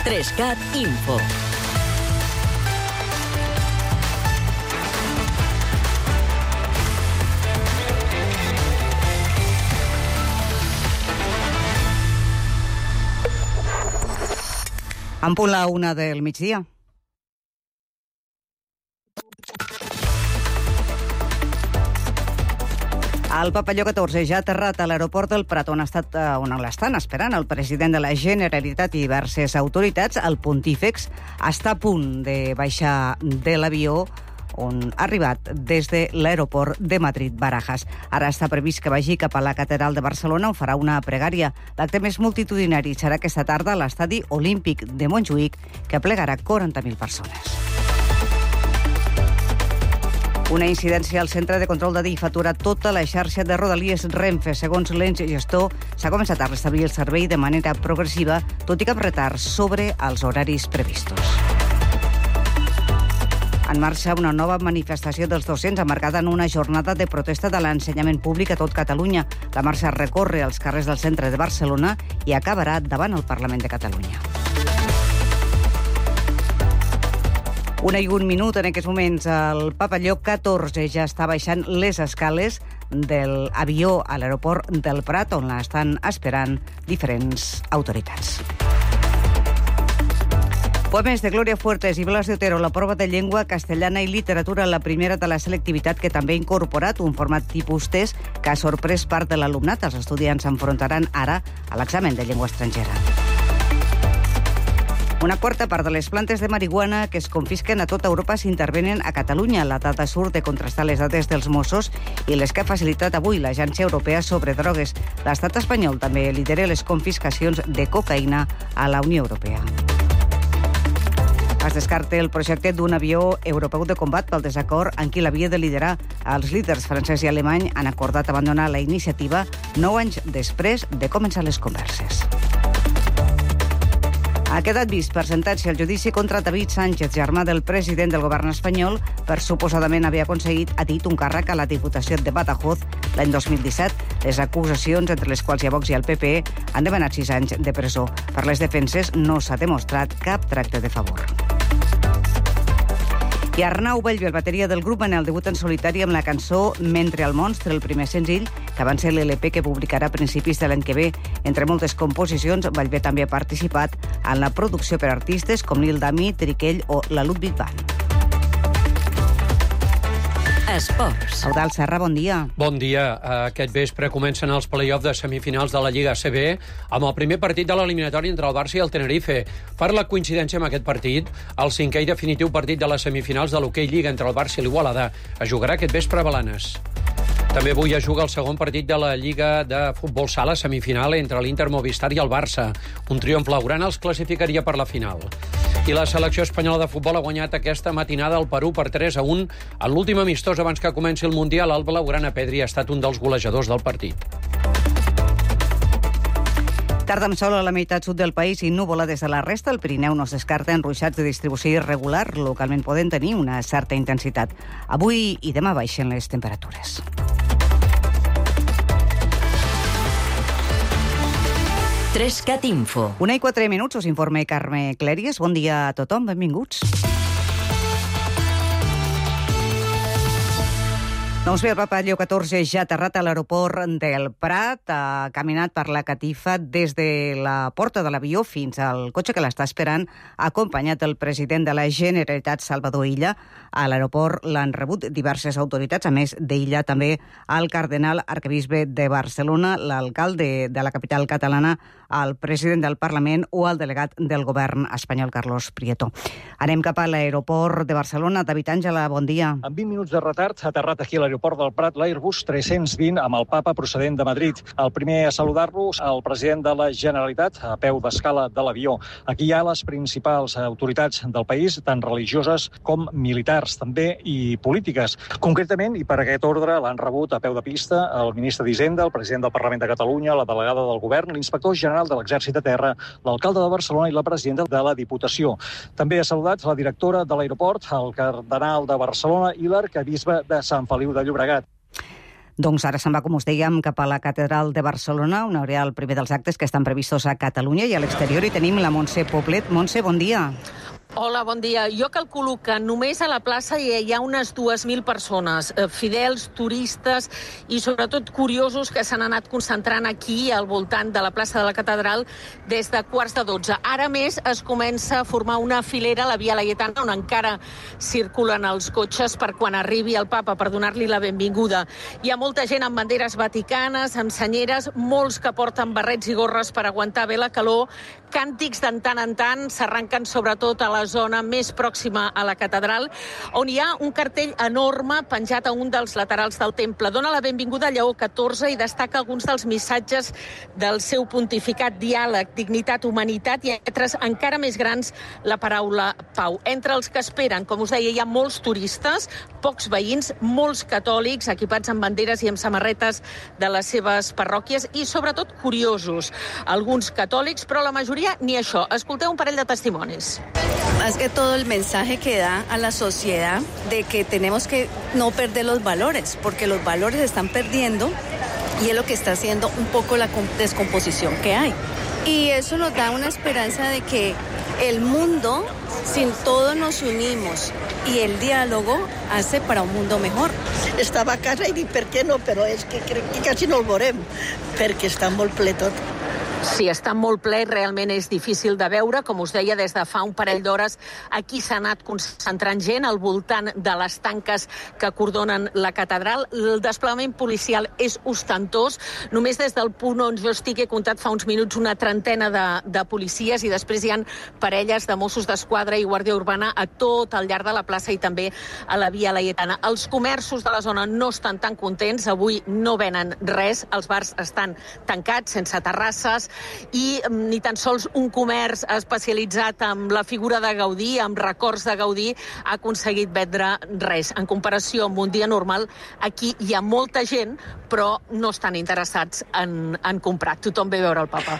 3CAT Info. En punt la 1 del migdia. El Papalló 14 ja ha aterrat a l'aeroport del Prat, on l'estan esperant el president de la Generalitat i diverses autoritats. El pontífex està a punt de baixar de l'avió on ha arribat des de l'aeroport de Madrid-Barajas. Ara està previst que vagi cap a la Catedral de Barcelona, on farà una pregària. L'acte més multitudinari serà aquesta tarda a l'Estadi Olímpic de Montjuïc, que aplegarà 40.000 persones. Una incidència al centre de control d'Adif ha aturat tota la xarxa de Rodalies Renfe. Segons l'ens gestor, s'ha començat a restablir el servei de manera progressiva, tot i cap retard sobre els horaris previstos. En marxa una nova manifestació dels docents emmarcada en una jornada de protesta de l'ensenyament públic a tot Catalunya. La marxa recorre els carrers del centre de Barcelona i acabarà davant el Parlament de Catalunya. 1:01 en aquests moments. El Papalló 14 ja està baixant les escales de l'avió a l'aeroport del Prat, on l'estan esperant diferents autoritats. Poemes de Glòria Fuertes i Blas de Otero, la prova de llengua castellana i literatura, la primera de la selectivitat, que també ha incorporat un format tipus test que ha sorprès part de l'alumnat. Els estudiants s'enfrontaran ara a l'examen de llengua estrangera. Una quarta part de les plantes de marihuana que es confisquen a tota Europa s'intervenen a Catalunya. La dada surt de contrastar les dades dels Mossos i les que ha facilitat avui l'Agència Europea sobre Drogues. L'estat espanyol també lidera les confiscacions de cocaïna a la Unió Europea. Es descarta el projecte d'un avió europeu de combat pel desacord en qui l'havia de liderar. Els líders francès i alemany han acordat abandonar la iniciativa 9 anys després de començar les converses. Ha quedat vist per sentència el judici contra David Sánchez, germà del president del govern espanyol, per suposadament haver aconseguit, ha dit, un càrrec a la Diputació de Badajoz l'any 2017. Les acusacions, entre les quals hi ha Vox i el PP, han demanat 6 anys de presó. Per les defenses no s'ha demostrat cap tracte de favor. I Arnau Bellver, bateria del grup Manel, debut en solitari amb la cançó Mentre el monstre, el primer senzill, que va ser l'LP que publicarà a principis de l'any que ve. Entre moltes composicions, Bellver també ha participat en la producció per artistes com Lil Dami, Triquell o la Ludwig Band. Esports. Eudald Serra, bon dia. Bon dia. Aquest vespre comencen els play-offs de semifinals de la Lliga ACB amb el primer partit de l'eliminatòria entre el Barça i el Tenerife. Per la coincidència amb aquest partit, el cinquè i definitiu partit de les semifinals de l'Hockey Lliga entre el Barça i l'Igualada es jugarà aquest vespre a Blanes. També avui es juga el segon partit de la Lliga de Futbol Sala semifinal entre l'Inter Movistar i el Barça. Un triomf blaugrana els classificaria per la final. I la selecció espanyola de futbol ha guanyat aquesta matinada al Perú per 3-1 en l'últim amistós abans que comenci el Mundial. El blaugrana Pedri ha estat un dels golejadors del partit. Tarda amb sol a la meitat sud del país i núvola des de la resta. El Pirineu no es descarta en ruixats de distribució irregular. Localment poden tenir una certa intensitat. Avui i demà baixen les temperatures. Trescat Info. 1:04, us informa Carme Clèries. Bon dia a tothom, benvinguts. Doncs bé, el Papalló 14 ja ha aterrat a l'aeroport del Prat, ha caminat per la catifa des de la porta de l'avió fins al cotxe que l'està esperant, acompanyat del president de la Generalitat, Salvador Illa. A l'aeroport l'han rebut diverses autoritats, a més d'Illa també el cardenal arquebisbe de Barcelona, l'alcalde de la capital catalana, el president del Parlament o el delegat del govern espanyol, Carlos Prieto. Anem cap a l'aeroport de Barcelona. David Àngela, bon dia. En 20 minuts de retard ha aterrat aquí a l'aeroport del Prat l'Airbus 320 amb el papa procedent de Madrid. El primer a saludar-los, el president de la Generalitat, a peu d'escala de l'avió. Aquí hi ha les principals autoritats del país, tant religioses com militars, també, i polítiques. Concretament, i per aquest ordre, l'han rebut a peu de pista el ministre d'Hisenda, el president del Parlament de Catalunya, la delegada del govern, l'inspector general de l'Exèrcit de Terra, l'alcalde de Barcelona i la presidenta de la Diputació. També ha saludat la directora de l'aeroport, el cardenal de Barcelona i l'arquebisbe de Sant Feliu de Llobregat. Doncs ara se'n va, com us dèiem, cap a la Catedral de Barcelona, on hi haurà el primer dels actes que estan previstos a Catalunya, i a l'exterior hi tenim la Montse Poblet. Montse, bon dia. Hola, bon dia. Jo calculo que només a la plaça hi ha unes 2.000 persones, fidels, turistes i sobretot curiosos que s'han anat concentrant aquí al voltant de la plaça de la Catedral des de 11:15. Ara més es comença a formar una filera a la Via Laietana, on encara circulen els cotxes per quan arribi el papa, per donar-li la benvinguda. Hi ha molta gent amb banderes vaticanes, amb senyeres, molts que porten barrets i gorres per aguantar bé la calor. Càntics de tant en tant s'arranquen sobretot a la zona més pròxima a la catedral, on hi ha un cartell enorme penjat a un dels laterals del temple. Dona la benvinguda a Lleó XIV i destaca alguns dels missatges del seu pontificat: diàleg, dignitat, humanitat i altres encara més grans, la paraula pau. Entre els que esperen, com us deia, hi ha molts turistes, pocs veïns, molts catòlics equipats amb banderes i amb samarretes de les seves parròquies i sobretot curiosos. Alguns catòlics, però la majoria ni això. Escolteu un parell de testimonis. Es que todo el mensaje que da a la sociedad de que tenemos que no perder los valores, porque los valores se están perdiendo y es lo que está haciendo un poco la descomposición que hay. Y eso nos da una esperanza de que el mundo, si todos nos unimos y el diálogo, hace para un mundo mejor. Estava a casa i dic, per què no? Però és que crec que quasi no el veurem, perquè està molt ple tot. Sí, està molt ple, realment és difícil de veure. Com us deia, des de fa un parell d'hores aquí s'ha anat concentrant gent al voltant de les tanques que acordonen la catedral. El desplegament policial és ostentós. Només des del punt on jo estic he comptat fa uns minuts una trentena de policies i després hi ha parelles de Mossos d'Esquadra i Guàrdia Urbana a tot al llarg de la plaça i també a la Via Laietana. Els comerços de la zona no estan tan contents. Avui no venen res. Els bars estan tancats, sense terrasses, i ni tan sols un comerç especialitzat en la figura de Gaudí, amb records de Gaudí, ha aconseguit vendre res. En comparació amb un dia normal, aquí hi ha molta gent, però no estan interessats en comprar. Tothom ve a veure el papa.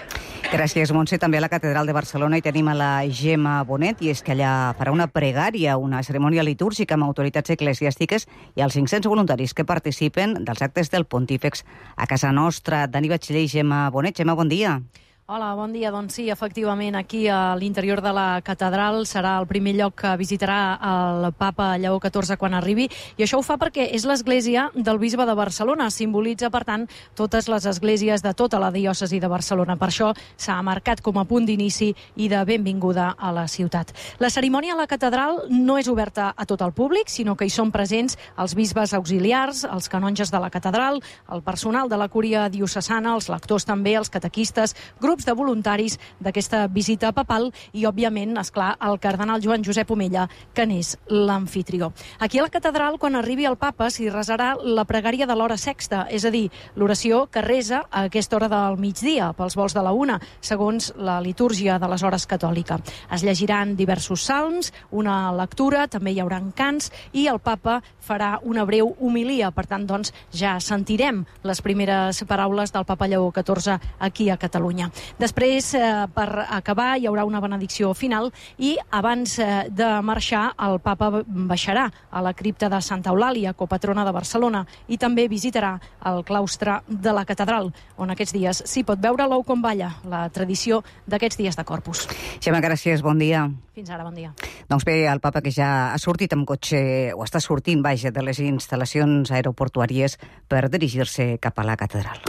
Gràcies, Montse. També a la Catedral de Barcelona hi tenim a la Gemma Bonet, i és que allà farà una pregària, una cerimònia litúrgica amb autoritats eclesiàstiques i els 500 voluntaris que participen dels actes del Pontífex a casa nostra. Dani Batxiller i Gemma Bonet. Gemma, bon dia. Hola, bon dia. Doncs sí, efectivament, aquí a l'interior de la catedral serà el primer lloc que visitarà el papa Lleó XIV quan arribi, i això ho fa perquè és l'església del bisbe de Barcelona. Simbolitza, per tant, totes les esglésies de tota la diòcesi de Barcelona. Per això s'ha marcat com a punt d'inici i de benvinguda a la ciutat. La cerimònia a la catedral no és oberta a tot el públic, sinó que hi són presents els bisbes auxiliars, els canonges de la catedral, el personal de la cúria diocesana, els lectors també, els catequistes, grups de voluntaris d'aquesta visita papal i, òbviament, esclar, el cardenal Joan Josep Omella, que n'és l'amfitrió. Aquí a la catedral, quan arribi el papa, s'hi resarà la pregària de l'hora sexta, és a dir, l'oració que resa a aquesta hora del migdia, pels volts de la 1, segons la litúrgia de les hores catòlica. Es llegiran diversos salms, una lectura, també hi haurà cants, i el papa farà una breu homilia. Per tant, doncs, ja sentirem les primeres paraules del papa Lleó XIV aquí a Catalunya. Després, per acabar, hi haurà una benedicció final i abans de marxar el papa baixarà a la cripta de Santa Eulàlia, copatrona de Barcelona, i també visitarà el claustre de la catedral, on aquests dies s'hi pot veure l'ou com balla, la tradició d'aquests dies de Corpus. Gemma, gràcies, bon dia. Fins ara, bon dia. Doncs bé, el papa, que ja ha sortit amb cotxe, o està sortint, vaja, de les instal·lacions aeroportuàries per dirigir-se cap a la catedral.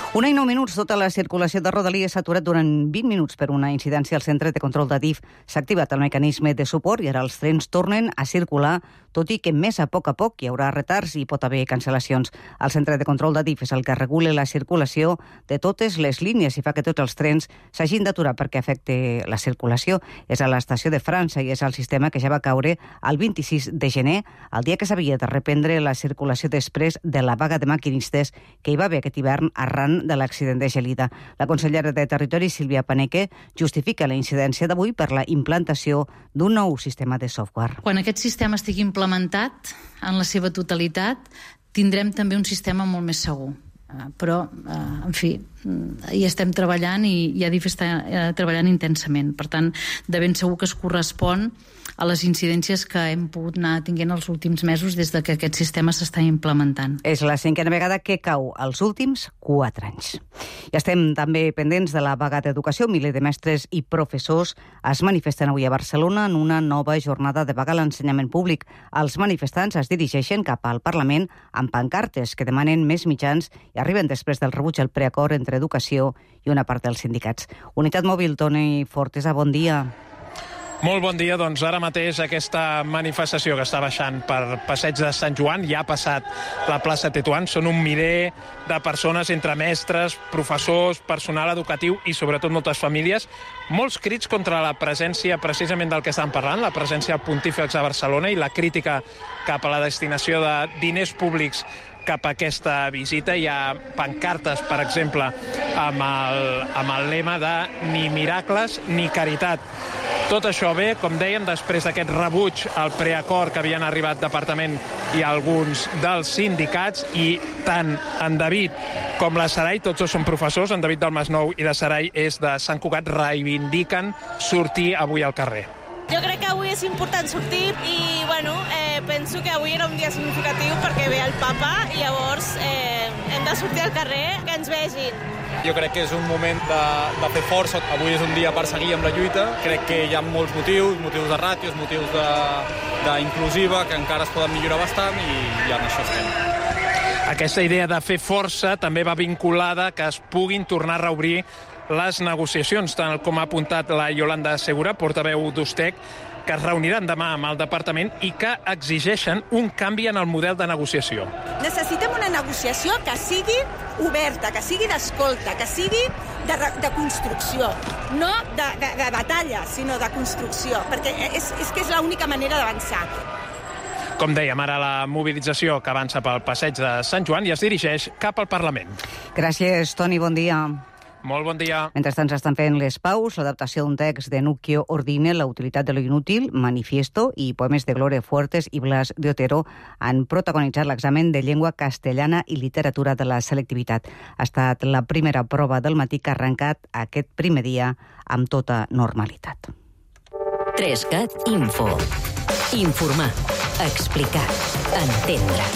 1:09, tota la circulació de Rodalies s'ha aturat durant 20 minuts per una incidència al centre de control de DIF. S'ha activat el mecanisme de suport i ara els trens tornen a circular, tot i que més a poc hi haurà retards i pot haver cancel·lacions. El centre de control de DIF és el que regula la circulació de totes les línies i fa que tots els trens s'hagin d'aturar perquè afecte la circulació. És a l'estació de França i és el sistema que ja va caure el 26 de gener, el dia que s'havia de reprendre la circulació després de la vaga de maquinistes que hi va haver aquest hivern arran de l'accident de Gelida. La consellera de Territori, Sílvia Paneque, justifica la incidència d'avui per la implantació d'un nou sistema de software. Quan aquest sistema estigui implementat en la seva totalitat, tindrem també un sistema molt més segur. però, en fi, hi estem treballant i Adif està treballant intensament. Per tant, de ben segur que es correspon a les incidències que hem pogut anar tinguent els últims mesos des de que aquest sistema s'està implementant. És la 5a vegada que cau els últims 4 anys. I estem també pendents de la vaga d'educació. Milers de mestres i professors es manifesten avui a Barcelona en una nova jornada de vaga a l'ensenyament públic. Els manifestants es dirigeixen cap al Parlament amb pancartes que demanen més mitjans i arriben després del rebuig al preacord entre educació i una part dels sindicats. Unitat Mòbil, Toni Fortesa, bon dia. Molt bon dia. Doncs ara mateix aquesta manifestació que està baixant per Passeig de Sant Joan ja ha passat la plaça Tetuan. Són un miler de persones entre mestres, professors, personal educatiu i sobretot moltes famílies. Molts crits contra la presència precisament del que estan parlant, la presència del Pontífex a Barcelona i la crítica cap a la destinació de diners públics cap a aquesta visita. Hi ha pancartes, per exemple, amb el lema de ni miracles ni caritat. Tot això ve, com dèiem, després d'aquest rebuig al preacord que havien arribat Departament i alguns dels sindicats, i tant en David com la Sarai, tots dos són professors, en David del Masnou i la Sarai és de Sant Cugat, reivindiquen sortir avui al carrer. Jo crec que avui és important sortir i, penso que avui era un dia significatiu perquè ve el papa i llavors hem de sortir al carrer, que ens vegin. Jo crec que és un moment de fer força. Avui és un dia per seguir amb la lluita. Crec que hi ha molts motius de ràtios, motius d'inclusiva, que encara es poden millorar bastant i en això estem. Aquesta idea de fer força també va vinculada que es puguin tornar a reobrir les negociacions, tal com ha apuntat la Yolanda Segura, portaveu d'Ustec, que es reuniran demà amb el departament i que exigeixen un canvi en el model de negociació. Necessitem una negociació que sigui oberta, que sigui d'escolta, que sigui de construcció, no de batalla, sinó de construcció, perquè és que és l'única manera d'avançar. Com dèiem, ara la mobilització que avança pel Passeig de Sant Joan i es dirigeix cap al Parlament. Gràcies, Toni, bon dia. Molt bon dia. Mentrestant s'estan fent les paus, l'adaptació d'un text de Nuccio Ordine, La utilitat de lo inútil, Manifiesto i poemes de Gloria Fuertes i Blas de Otero han protagonitzat l'examen de llengua castellana i literatura de la selectivitat. Ha estat la primera prova del matí que ha arrencat aquest primer dia amb tota normalitat. 3CAT Info. Informar, explicar, entendre.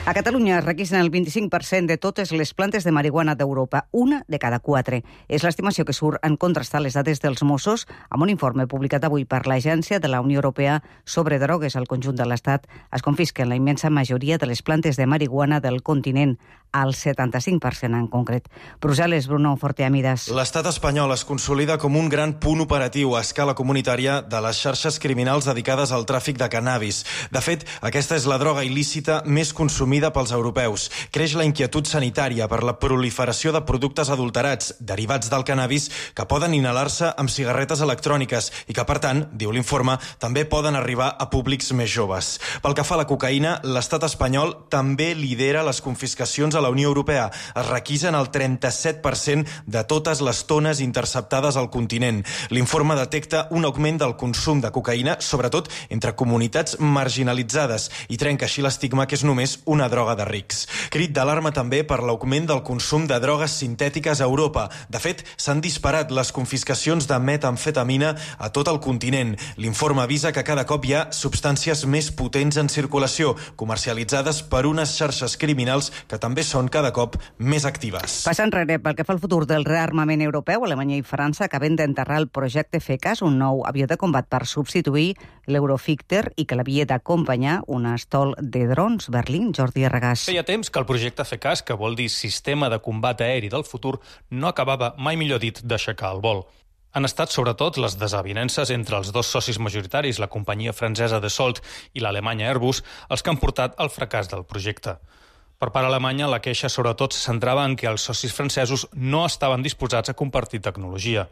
A Catalunya es requisen el 25% de totes les plantes de marihuana d'Europa, una de cada 4. És l'estimació que surt en contrastar les dades dels Mossos amb un informe publicat avui per l'Agència de la Unió Europea sobre drogues al conjunt de l'Estat. Es confisquen la immensa majoria de les plantes de marihuana del continent, al 75% en concret. Brussel·les, Bruno Forteamidas. L'estat espanyol es consolida com un gran punt operatiu a escala comunitària de les xarxes criminals dedicades al tràfic de cannabis. De fet, aquesta és la droga il·lícita més consumida pels europeus. Creix la inquietud sanitària per la proliferació de productes adulterats derivats del cannabis que poden inhalar-se amb cigarretes electròniques i que, per tant, diu l'informe, també poden arribar a públics més joves. Pel que fa a la cocaïna, l'estat espanyol també lidera les confiscacions a la Unió Europea. Es requisen el 37% de totes les tones interceptades al continent. L'informe detecta un augment del consum de cocaïna, sobretot entre comunitats marginalitzades, i trenca així l'estigma que és només una droga de rics. Crit d'alarma també per l'augment del consum de drogues sintètiques a Europa. De fet, s'han disparat les confiscacions de metamfetamina a tot el continent. L'informe avisa que cada cop hi ha substàncies més potents en circulació, comercialitzades per unes xarxes criminals que també són cada cop més actives. Passant enrere, pel que fa al futur del rearmament europeu, Alemanya i França acaben d'enterrar el projecte FCAS, un nou avió de combat per substituir l'Eurofighter i que l'havia d'acompanyar un estol de drons. Berlín, Jordi Arragàs. Feia temps que el projecte FCAS, que vol dir Sistema de Combat Aeri del Futur, no acabava, mai millor dit, d'aixecar el vol. Han estat sobretot les desavinences entre els dos socis majoritaris, la companyia francesa Dassault i l'alemanya Airbus, els que han portat al fracàs del projecte. Per part alemanya, la queixa sobretot se centrava en que els socis francesos no estaven disposats a compartir tecnologia.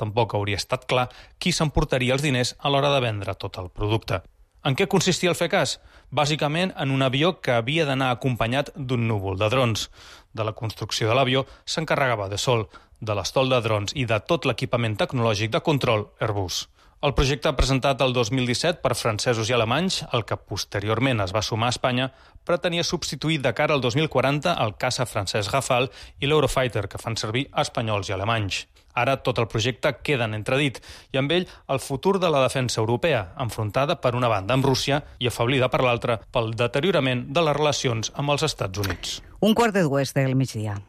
Tampoc hauria estat clar qui s'emportaria els diners a l'hora de vendre tot el producte. En què consistia el FCAS? Bàsicament en un avió que havia d'anar acompanyat d'un núvol de drons. De la construcció de l'avió s'encarregava Dassault, de l'estol de drons i de tot l'equipament tecnològic de control Airbus. El projecte presentat el 2017 per francesos i alemanys, el que posteriorment es va sumar a Espanya, pretenia substituir de cara al 2040 el caça francès Rafale i l'Eurofighter, que fan servir espanyols i alemanys. Ara tot el projecte queda en entredit i amb ell el futur de la defensa europea, enfrontada per una banda amb Rússia i afablida per l'altra pel deteriorament de les relacions amb els Estats Units. 1:45 del migdia.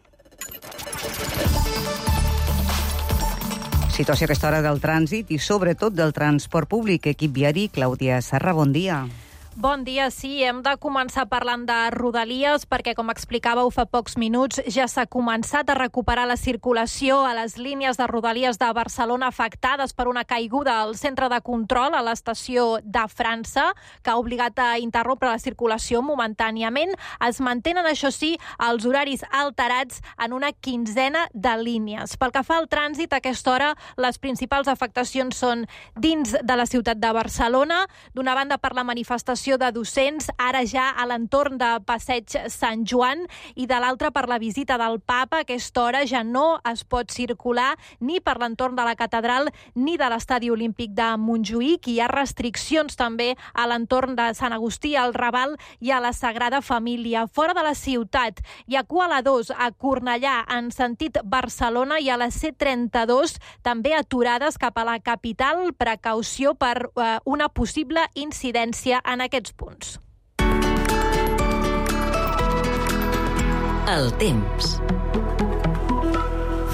Situació a aquesta hora del trànsit i sobretot del transport públic. Equip viari, Clàudia Serra, bon dia. Bon dia, sí. Hem de començar parlant de Rodalies perquè, com explicàveu fa pocs minuts, ja s'ha començat a recuperar la circulació a les línies de Rodalies de Barcelona afectades per una caiguda al centre de control a l'estació de França, que ha obligat a interrompre la circulació momentàniament. Es mantenen, això sí, els horaris alterats en una quinzena de línies. Pel que fa al trànsit, a aquesta hora les principals afectacions són dins de la ciutat de Barcelona, d'una banda per la manifestació de docents, ara ja a l'entorn de Passeig Sant Joan, i de l'altra per la visita del Papa. A aquesta hora ja no es pot circular ni per l'entorn de la catedral ni de l'Estadi Olímpic de Montjuïc. Hi ha restriccions també a l'entorn de Sant Agustí, al Raval i a la Sagrada Família. Fora de la ciutat hi ha cua a la 2 a Cornellà en sentit Barcelona i a la C32 també aturades cap a la capital. Precaució per una possible incidència en aquests punts. El temps.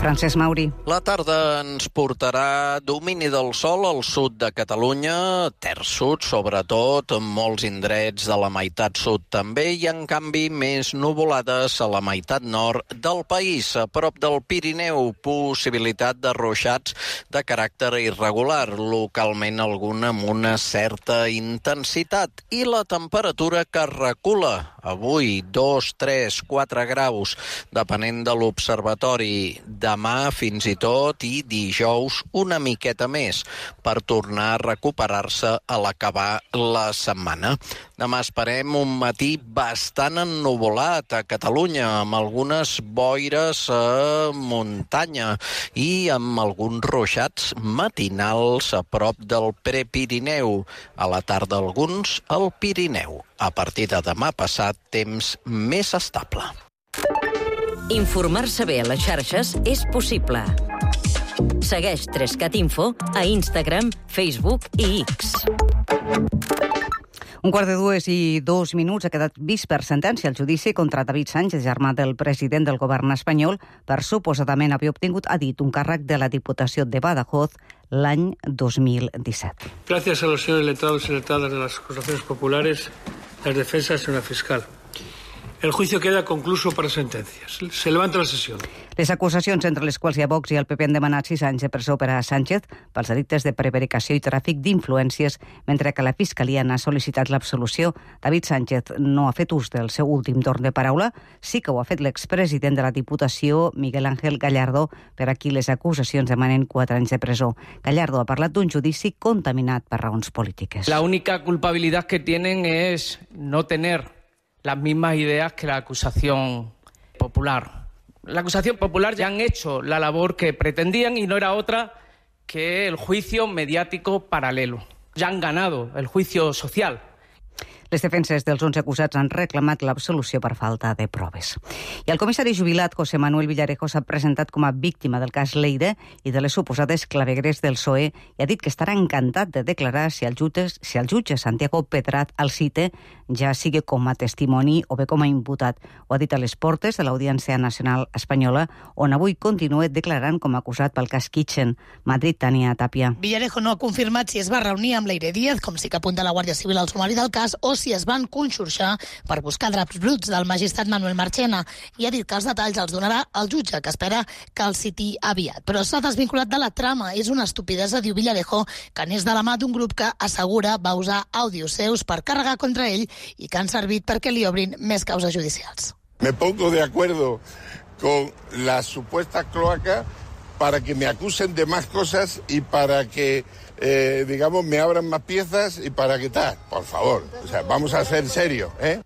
Francesc Mauri. La tarda ens portarà domini del sol al sud de Catalunya, terç sud sobretot, molts indrets de la meitat sud també, i en canvi més nuvolades a la meitat nord del país. A prop del Pirineu, possibilitat de ruixats de caràcter irregular, localment algun amb una certa intensitat. I la temperatura que recula, avui 2, 3, 4 graus, depenent de l'observatori. Demà fins i tot i dijous una miqueta més per tornar a recuperar-se a l'acabar la setmana. Demà esperem un matí bastant ennuvolat a Catalunya, amb algunes boires a muntanya i amb alguns ruixats matinals a prop del Prepirineu. A la tarda alguns al Pirineu. A partir de demà passat, temps més estable. Informar-se bé a les xarxes és possible. Segueix 3CAT Info a Instagram, Facebook i X. 1:42 ha quedat vist per sentència el judici contra David Sánchez, germà del president del govern espanyol, per suposadament haver obtingut, ha dit, un càrrec de la Diputació de Badajoz l'any 2017. Gracias a los señores letrados y letradas de las acusaciones populares, las defensas, señora fiscal. El juicio queda concluso per sentencias. Se levanta la sessió. Les acusacions, entre les quals hi ha Vox i el PP, han demanat 6 anys de presó per a Sánchez pels delictes de prevaricació i tràfic d'influències, mentre que la Fiscalia n'ha sol·licitat l'absolució. David Sánchez no ha fet ús del seu últim torn de paraula. Sí que ho ha fet l'expresident de la Diputació, Miguel Ángel Gallardo, per a qui les acusacions demanen 4 anys de presó. Gallardo ha parlat d'un judici contaminat per raons polítiques. La única culpabilidad que tienen es no tener las mismas ideas que la acusación popular. La acusación popular ya han hecho la labor que pretendían y no era otra que el juicio mediático paralelo. Ya han ganado el juicio social. Les defenses dels 11 acusats han reclamat l'absolució per falta de proves. I el comissari jubilat José Manuel Villarejo s'ha presentat com a víctima del cas Lleida i de les suposades clavegueres del PSOE i ha dit que estarà encantat de declarar si el jutge Santiago Pedraz el cite, ja sigui com a testimoni o bé com a imputat. Ho ha dit a les portes de l'Audiència Nacional Espanyola, on avui continua declarant com a acusat pel cas Kitchen. Madrid, Tania Tapia. Villarejo no ha confirmat si es va reunir amb Leire Díaz, com sí que apunta la Guàrdia Civil al sumari del cas, o si es van conxorxar per buscar draps bruts del magistrat Manuel Marchena, i ha dit que els detalls els donarà el jutge, que espera que el citi aviat. Però s'ha desvinculat de la trama. És una estupidesa, diu Villarejo, que n'és de la mà d'un grup que assegura va usar àudios seus per carregar contra ell i que han servit perquè li obrin més causes judicials. Me pongo de acuerdo con las supuestas cloacas para que me acusen de más cosas y para que digamos, me abran más piezas y para qué tal, por favor. O sea, vamos a ser serios, ¿eh?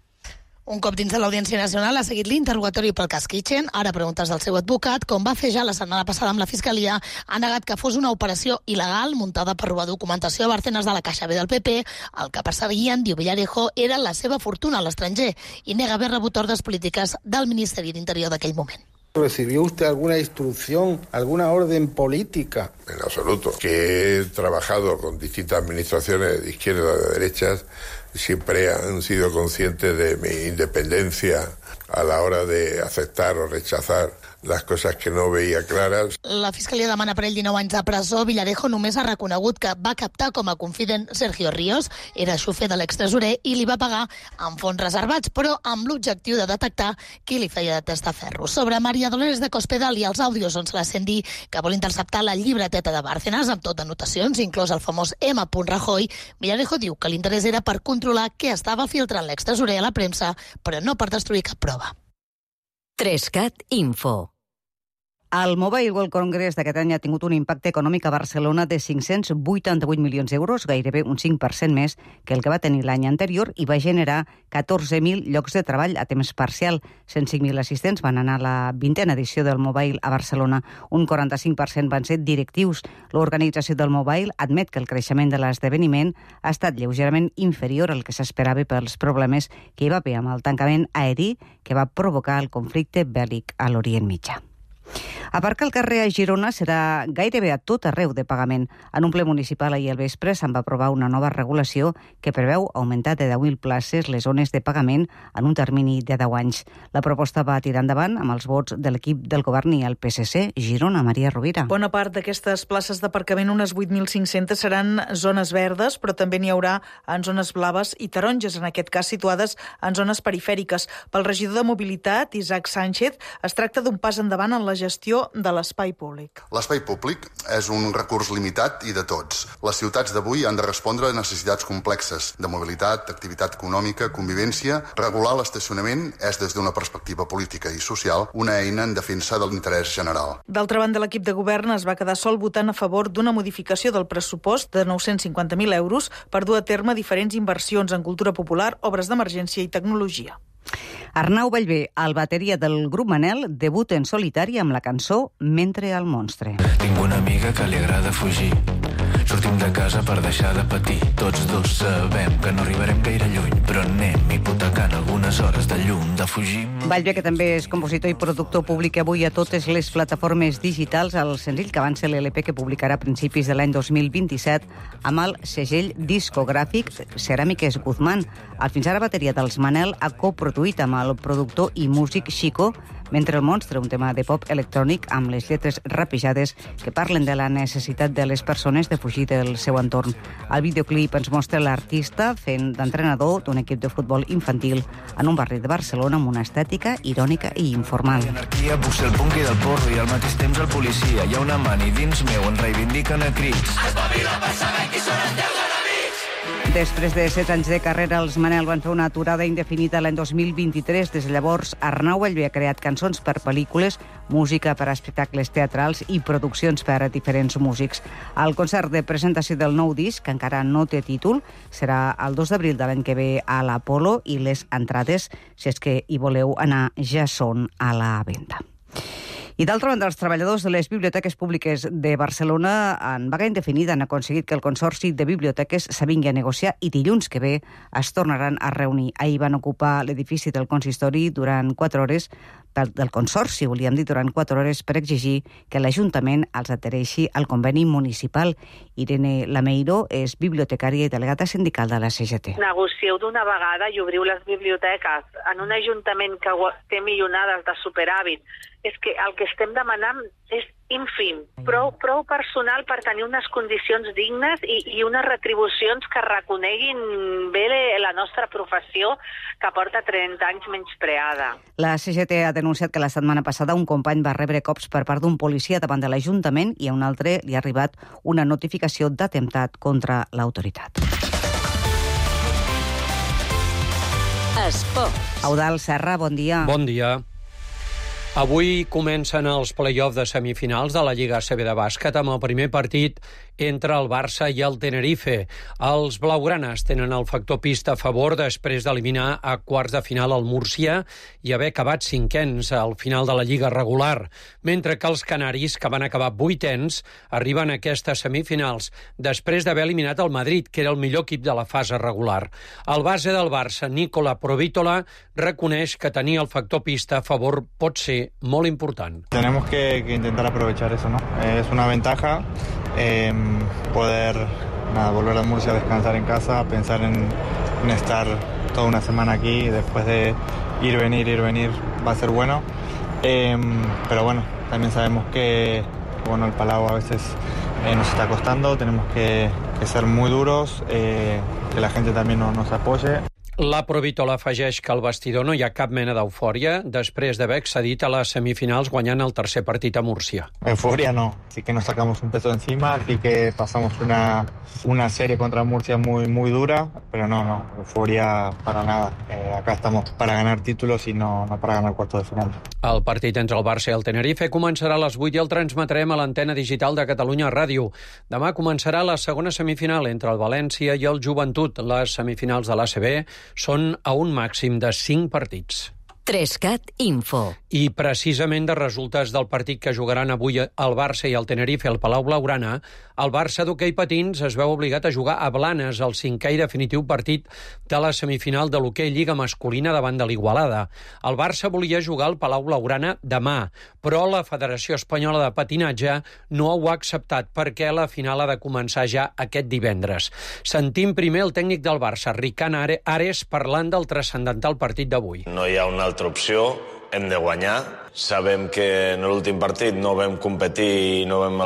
Un cop dins de l'Audiència Nacional ha seguit l'interrogatori pel cas Kitchen. Ara preguntes del seu advocat, com va fer ja la setmana passada amb la Fiscalia, ha negat que fos una operació il·legal muntada per robar documentació a Bárcenas de la Caixa B del PP. El que perseguien, diu Villarejo, era la seva fortuna a l'estranger i nega haver rebut ordres polítiques del Ministeri d'Interior d'aquell moment. ¿Recibió usted alguna instrucción, alguna orden política? En absoluto. Que he trabajado con distintas administraciones de izquierda y de derechas, siempre han sido conscientes de mi independencia a la hora de aceptar o rechazar les coses que no veia clares. La Fiscalia demana per ell 19 anys de presó. Villarejo només ha reconegut que va captar com a confident Sergio Ríos, era xofer de l'extresorer i li va pagar amb fons reservats, però amb l'objectiu de detectar qui li feia de testaferro. Sobre María Dolores de Cospedal i els àudios on se la sent dir que vol interceptar la llibreteta de Bárcenas amb tot anotacions, inclòs el famós M. Rajoy, Villarejo diu que l'interès era per controlar què estava filtrant l'extresorer a la premsa, però no per destruir cap prova. 3CAT Info. El Mobile World Congress d'aquest any ha tingut un impacte econòmic a Barcelona de 588 milions d'euros, gairebé un 5% més que el que va tenir l'any anterior, i va generar 14.000 llocs de treball a temps parcial. 105.000 assistents van anar a la 20a edició del Mobile a Barcelona. Un 45% van ser directius. L'organització del Mobile admet que el creixement de l'esdeveniment ha estat lleugerament inferior al que s'esperava pels problemes que hi va haver amb el tancament aeri que va provocar el conflicte bèl·lic a l'Orient Mitjà. Aparcar al carrer a Girona serà gairebé a tot arreu de pagament. En un ple municipal ahir al vespre se'n va aprovar una nova regulació que preveu augmentar de 10.000 places les zones de pagament en un termini de 10 anys. La proposta va tirar endavant amb els vots de l'equip del govern i el PSC. Girona, Maria Rovira. Bona part d'aquestes places d'aparcament, unes 8.500, seran zones verdes, però també n'hi haurà en zones blaves i taronges, en aquest cas situades en zones perifèriques. Pel regidor de Mobilitat, Isaac Sánchez, es tracta d'un pas endavant en la gestió de l'espai públic. L'espai públic és un recurs limitat i de tots. Les ciutats d'avui han de respondre a necessitats complexes de mobilitat, activitat econòmica, convivència. Regular l'estacionament és, des d'una perspectiva política i social, una eina en defensa de l'interès general. D'altra banda, l'equip de govern es va quedar sol votant a favor d'una modificació del pressupost de 950.000 euros per dur a terme diferents inversions en cultura popular, obres d'emergència i tecnologia. Arnau Ballbé, el bateria del grup Manel, debuta en solitari amb la cançó Mentre el monstre. Tinc una amiga que li agrada fugir. Sortim de casa per deixar de patir. Tots dos sabem que no arribarem gaire lluny, però anem hipotecant algunes hores de llum, de fugir. Ballbé, que també és compositor i productor, publica avui a totes les plataformes digitals el senzill que avança l'LP que publicarà a principis de l'any 2027 amb el segell discogràfic Ceràmiques Guzmán. El fins ara bateria dels Manel ha coproduït amb el productor i músic Chico Mentre el monstre, un tema de pop electrònic amb les lletres rapejades que parlen de la necessitat de les persones de fugir del seu entorn. El videoclip ens mostra l'artista fent d'entrenador d'un equip de futbol infantil en un barri de Barcelona amb una estètica irònica i informal. L'anarquia puc ser el punky del porro i al mateix temps el policia. Hi ha una mani dins meu, en reivindiquen a crits. Espavila per saber qui són els teus enemics! Després de 7 anys de carrera, els Manel van fer una aturada indefinida l'any 2023. Des de llavors, Arnau Ballbé ha creat cançons per pel·lícules, música per a espectacles teatrals i produccions per a diferents músics. El concert de presentació del nou disc, que encara no té títol, serà el 2 d'abril de l'any que ve a l'Apolo i les entrades, si és que hi voleu anar, ja són a la venda. I d'altra banda, els treballadors de les biblioteques públiques de Barcelona en vaga indefinida han aconseguit que el Consorci de Biblioteques s'avingui a negociar i dilluns que ve es tornaran a reunir. Ahir van ocupar l'edifici del consistori durant 4 hores, del Consorci, volíem dir, durant 4 hores per exigir que l'Ajuntament els adhereixi al conveni municipal. Irene Lameiro és bibliotecària i delegada sindical de la CGT. Negocieu d'una vegada i obriu les biblioteques en un ajuntament que té milionades de superàvit. És que el que estem demanant és ínfim, prou personal per tenir unes condicions dignes i unes retribucions que reconeguin bé la nostra professió, que porta 30 anys menyspreada. La CGT ha denunciat que la setmana passada un company va rebre cops per part d'un policia davant de l'Ajuntament i a un altre li ha arribat una notificació d'atemptat contra l'autoritat. Esport. Eudald Serra, bon dia. Bon dia. Avui comencen els play-offs de semifinals de la Lliga ACB de bàsquet amb el primer partit entre el Barça i el Tenerife. Els blaugranes tenen el factor pista a favor després d'eliminar a quarts de final el Múrcia i haver acabat cinquens al final de la Lliga regular, mentre que els canaris, que van acabar vuitens, arriben a aquestes semifinals després d'haver eliminat el Madrid, que era el millor equip de la fase regular. El base del Barça, Nicola Provítola, reconeix que tenir el factor pista a favor pot ser molt important. Tenemos que intentar aprovechar eso, ¿no? Es una ventaja poder volver a Murcia a descansar en casa, pensar en estar toda una semana aquí y después de ir, venir, va a ser bueno. Pero bueno, también sabemos que el Palau a veces nos está costando, tenemos que ser muy duros, que la gente también nos apoye. La Provítola afegeix que al vestidor no hi ha cap mena d'eufòria després d'haver accedit a les semifinals guanyant el tercer partit a Múrcia. Euforia no, sí que nos sacamos un peso encima, sí que pasamos una serie contra Murcia muy dura, pero no, euforia para nada. Acá estamos para ganar títulos y no para ganar cuartos de final. El partit entre el Barça i el Tenerife començarà a les 8 i el transmetrem a l'antena digital de Catalunya Ràdio. Demà començarà la segona semifinal entre el València i el Joventut. Les semifinals de l'ACB són a un màxim de 5 partits. 3CAT Info. I precisament de resultats del partit que jugaran avui el Barça i el Tenerife al Palau Blaugrana, el Barça d'hoquei patins es veu obligat a jugar a Blanes el 5è i definitiu partit de la semifinal de l'hoquei Lliga masculina davant de l'Igualada. El Barça volia jugar al Palau Blaugrana demà, però la Federació Espanyola de Patinatge no ho ha acceptat perquè la final ha de començar ja aquest divendres. Sentim primer el tècnic del Barça, Ricard Ares, parlant del transcendental partit d'avui. No hi ha una altra opció, hem de guanyar. Sabem que en l'últim partit no vam competir i no vam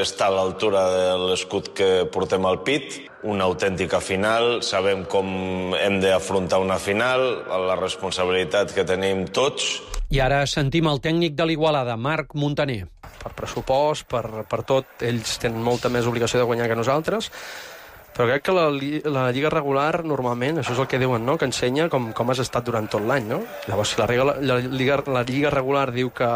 estar a l'altura de l'escut que portem al pit. Una autèntica final, sabem com hem d'afrontar una final, la responsabilitat que tenim tots. I ara sentim el tècnic de l'Igualada, Marc Montaner. Per pressupost, per tot, ells tenen molta més obligació de guanyar que nosaltres, però crec que la Lliga regular normalment, això és el que diuen, no? Que ensenya com has estat durant tot l'any, no? Llavors, si la Lliga regular diu que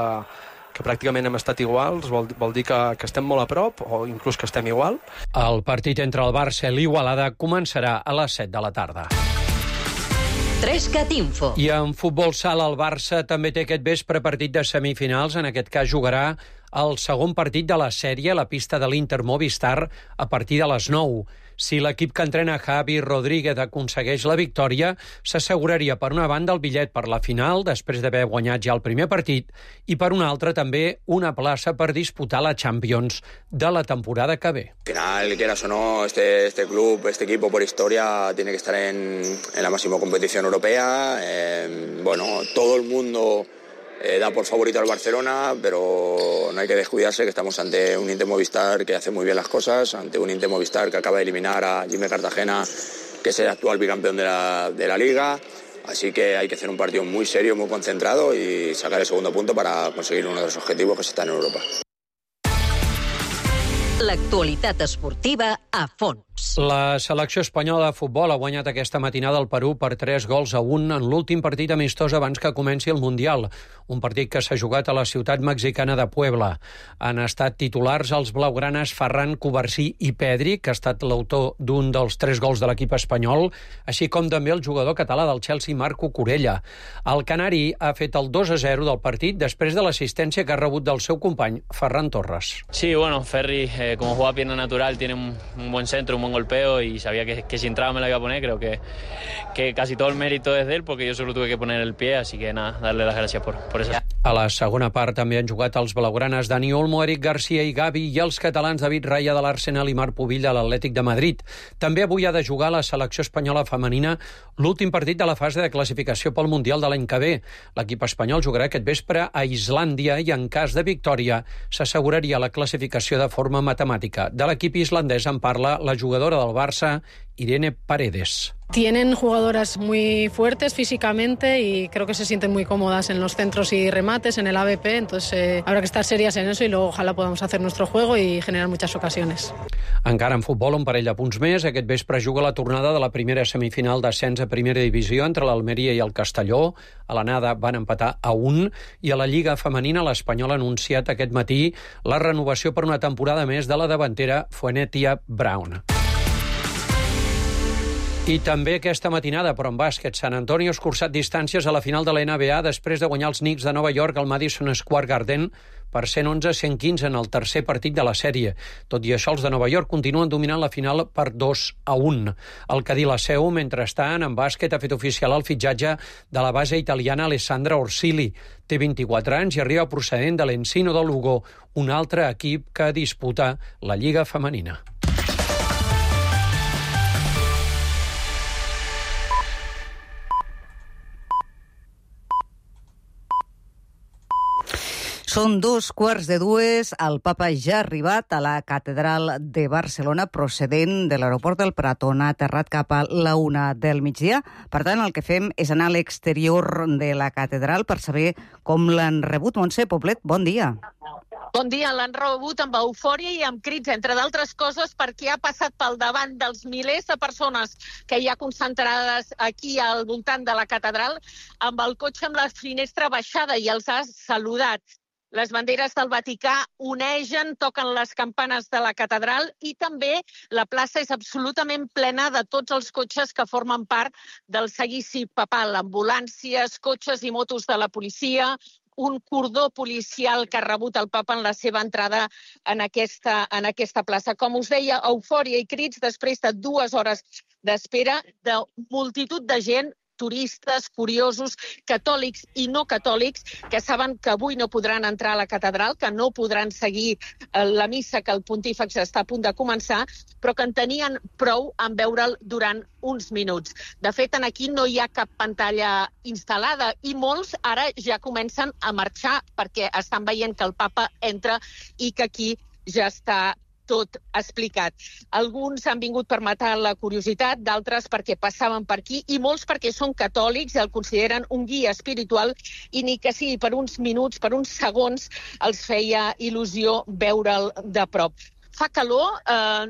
pràcticament hem estat iguals, vol dir que estem molt a prop o inclús que estem igual. El partit entre el Barça i l'Igualada començarà a les 7 de la tarda. 3CAT Info. I en futbol sala el Barça també té aquest vespre partit de semifinals. En aquest cas jugarà el segon partit de la sèrie a la pista de l'Inter Movistar a partir de les 9. Si l'equip que entrena Javi Rodríguez aconsegueix la victòria, s'asseguraria per una banda el bitllet per la final, després d'haver guanyat ja el primer partit, i per una altra també una plaça per disputar la Champions de la temporada que ve. Al final, quieras o no, este club, este equipo por historia tiene que estar en la máxima competición europea. Todo el mundo da por favorito al Barcelona, pero no hay que descuidarse que estamos ante un Inter Movistar que hace muy bien las cosas, ante un Inter Movistar que acaba de eliminar a Jimmy Cartagena, que es el actual bicampeón de la Liga. Así que hay que hacer un partido muy serio, muy concentrado y sacar el segundo punto para conseguir uno de los objetivos que se está en Europa. L'actualitat esportiva a fons. La selecció espanyola de futbol ha guanyat aquesta matinada al Perú per 3-1 en l'últim partit amistós abans que comenci el Mundial, un partit que s'ha jugat a la ciutat mexicana de Puebla. Han estat titulars els blaugranes Ferran Covarsí i Pedri, que ha estat l'autor d'un dels 3 gols de l'equip espanyol, així com també el jugador català del Chelsea, Marco Corella. El canari ha fet el 2-0 del partit després de l'assistència que ha rebut del seu company, Ferran Torres. Sí, Ferri, como juega pierna natural, tiene un buen centro, un buen golpeo y sabía que si entraba me la iba a poner. Creo que casi todo el mérito es de él porque yo solo tuve que poner el pie, así que nada, darle las gracias por eso. A la segona part també han jugat els blaugranes Dani Olmo, Eric Garcia i Gavi i els catalans David Raya de l'Arsenal i Marc Pubill de l'Atlètic de Madrid. També avui ha de jugar la selecció espanyola femenina l'últim partit de la fase de classificació pel Mundial de l'any que ve. L'equip espanyol jugarà aquest vespre a Islàndia i en cas de victòria s'asseguraria la classificació de forma matemàtica. De l'equip islandès en parla la jugadora del Barça, Irene Paredes. Tienen jugadoras muy fuertes físicamente y creo que se sienten muy cómodas en los centros y remates, en el AVP, entonces habrá que estar serias en eso y luego ojalá podamos hacer nuestro juego y generar muchas ocasiones. Encara en futbol, un parell de punts més. Aquest vespre juga la tornada de la primera semifinal d'ascens a primera divisió entre l'Almeria i el Castelló. A l'anada van empatar a 1 i a la Lliga femenina l'Espanyol ha anunciat aquest matí la renovació per una temporada més de la davantera Fuennetia Brown. I també aquesta matinada, però en bàsquet, San Antonio ha escurçat distàncies a la final de la NBA després de guanyar els Knicks de Nova York al Madison Square Garden per 111-115 en el tercer partit de la sèrie. Tot i això, els de Nova York continuen dominant la final per 2-1. El Cadí la seu, mentrestant, en bàsquet ha fet oficial el fitxatge de la base italiana Alessandra Orsili. Té 24 anys i arriba procedent de l'Encino de Lugo, un altre equip que disputa la Lliga femenina. Són 2:15. El papa ja ha arribat a la catedral de Barcelona procedent de l'aeroport del Prat, on ha aterrat cap a la 1 del migdia. Per tant, el que fem és anar a l'exterior de la catedral per saber com l'han rebut. Montse Poblet, bon dia. Bon dia, l'han rebut amb eufòria i amb crits, entre d'altres coses, perquè ha passat pel davant dels milers de persones que hi ha concentrades aquí al voltant de la catedral, amb el cotxe amb la finestra baixada i els ha saludat. Les banderes del Vaticà onegen, toquen les campanes de la catedral i també la plaça és absolutament plena de tots els cotxes que formen part del seguici papal, ambulàncies, cotxes i motos de la policia, un cordó policial que ha rebut el papa en la seva entrada en aquesta plaça. Com us deia, eufòria i crits després de 2 hores d'espera de multitud de gent, turistes, curiosos, catòlics i no catòlics, que saben que avui no podran entrar a la catedral, que no podran seguir la missa que el pontífex està a punt de començar, però que en tenien prou en veure'l durant uns minuts. De fet, aquí no hi ha cap pantalla instal·lada i molts ara ja comencen a marxar perquè estan veient que el papa entra i que aquí ja està tot explicat. Alguns han vingut per matar la curiositat, d'altres perquè passaven per aquí i molts perquè són catòlics i el consideren un guia espiritual i ni que sigui per uns minuts, per uns segons, els feia il·lusió veure'l de prop. Fa calor,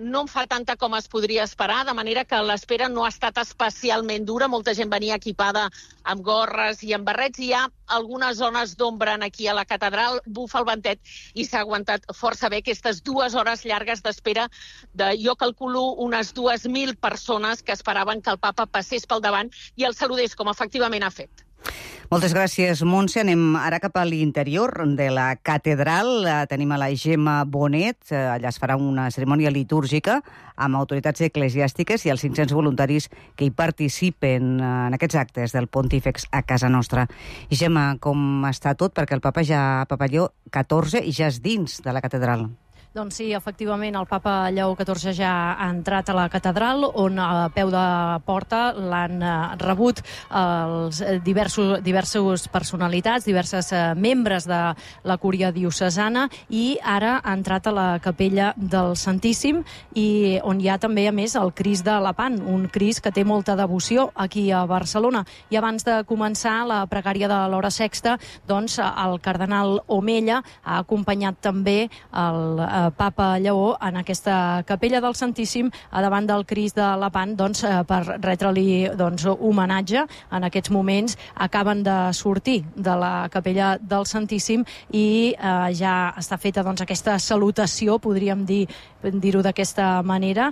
no en fa tanta com es podria esperar, de manera que l'espera no ha estat especialment dura. Molta gent venia equipada amb gorres i amb barrets. Hi ha algunes zones d'ombra aquí a la catedral, bufa el ventet i s'ha aguantat força bé aquestes 2 hores llargues d'espera de, jo calculo, unes 2.000 persones que esperaven que el papa passés pel davant i el saludés, com efectivament ha fet. Moltes gràcies, Montse. Anem ara cap a l'interior de la catedral. Tenim a la Gemma Bonet. Allà es farà una cerimònia litúrgica amb autoritats eclesiàstiques i els 500 voluntaris que hi participen en aquests actes del pontífex a casa nostra. I Gemma, com està tot? Perquè el papa Lleó XIV ja és dins de la catedral. Doncs sí, efectivament, el papa Lleó XIV ja ha entrat a la catedral, on a peu de porta l'han rebut els diversos personalitats, diverses membres de la cúria diocesana, i ara ha entrat a la capella del Santíssim, i on hi ha també, a més, el Crist de Lepant, un Crist que té molta devoció aquí a Barcelona. I abans de començar la pregària de l'hora sexta, doncs el cardenal Omella ha acompanyat també el papa Lleó en aquesta capella del Santíssim a davant del Crist de Lepant, doncs, per retre-li homenatge. En aquests moments acaben de sortir de la capella del Santíssim i ja està feta aquesta salutació, podríem dir-ho d'aquesta manera,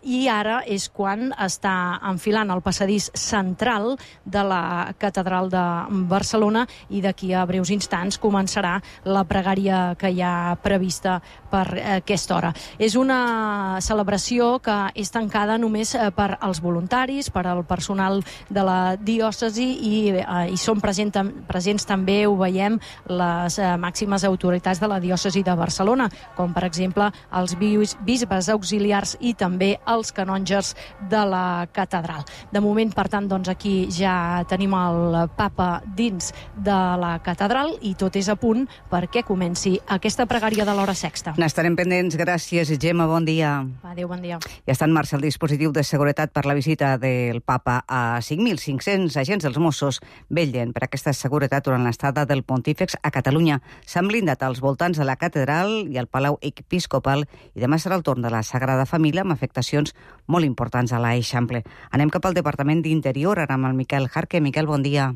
i ara és quan està enfilant el passadís central de la catedral de Barcelona i d'aquí a breus instants començarà la pregària que hi ha prevista per aquesta hora. És una celebració que és tancada només per als voluntaris, per al personal de la diòcesi i són presents també, ho veiem, les màximes autoritats de la diòcesi de Barcelona, com per exemple els bisbes auxiliars i també els canonges de la catedral. De moment, per tant, aquí ja tenim el papa dins de la catedral i tot és a punt perquè comenci aquesta pregària de l'hora sexta. N'estarem pendents. Gràcies, Gemma. Bon dia. Adéu, bon dia. Ja està en marxa el dispositiu de seguretat per la visita del papa a 5.500 agents dels Mossos vetllen per aquesta seguretat durant l'estada del Pontífex a Catalunya. S'han blindat als voltants de la catedral i el Palau Episcopal i demà serà el torn de la Sagrada Família amb afectacions molt importants a l'Eixample. Anem cap al Departament d'Interior, ara amb el Miquel Jarque. Miquel, bon dia.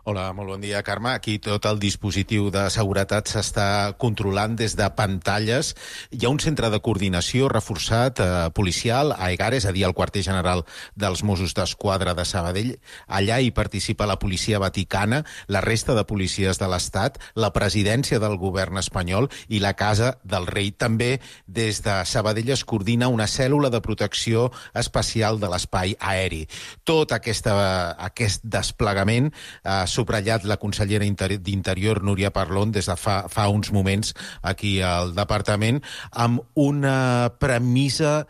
Hola, molt bon dia, Carme. Aquí tot el dispositiu de seguretat s'està controlant des de pantalles. Hi ha un centre de coordinació reforçat policial a Egares, a dir, al quarter general dels Mossos d'Esquadra de Sabadell. Allà hi participa la policia vaticana, la resta de policies de l'Estat, la presidència del govern espanyol i la Casa del Rei. També des de Sabadell es coordina una cèl·lula de protecció especial de l'espai aeri. Tot aquest desplegament ha subratllat la consellera d'Interior, Núria Parlon, des de fa uns moments aquí al departament, amb una premissa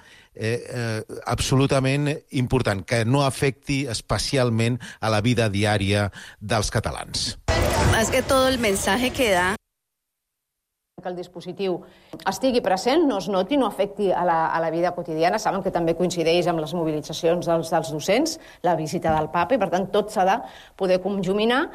absolutament important, que no afecti especialment a la vida diària dels catalans. És que tot el missatge que da que el dispositiu estigui present, no es noti, no afecti a la vida quotidiana. Saben que també coincideix amb les mobilitzacions dels docents, la visita del papa, i per tant tot s'ha de poder conjuminar.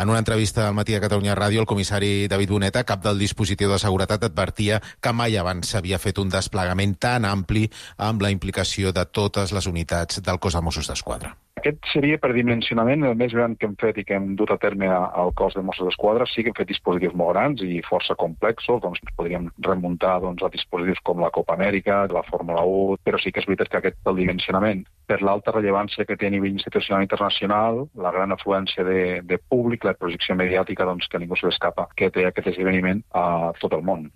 En una entrevista al Matí de Catalunya Ràdio, el comissari David Boneta, cap del dispositiu de seguretat, advertia que mai abans s'havia fet un desplegament tan ampli amb la implicació de totes les unitats del cos de Mossos d'Esquadra. Aquest seria, per dimensionament, el més gran que hem fet i que hem dut a terme al cos de Mossos d'Esquadra. Sí que hem fet dispositius molt grans i força complexos, doncs podríem remuntar a dispositius com la Copa Amèrica, la Fórmula 1, però sí que és veritat que aquest és el dimensionament. Per l'alta rellevància que té a nivell institucional i internacional, la gran afluència de públic, la projecció mediàtica, doncs que ningú se l'escapa, que té aquest esdeveniment a tot el món.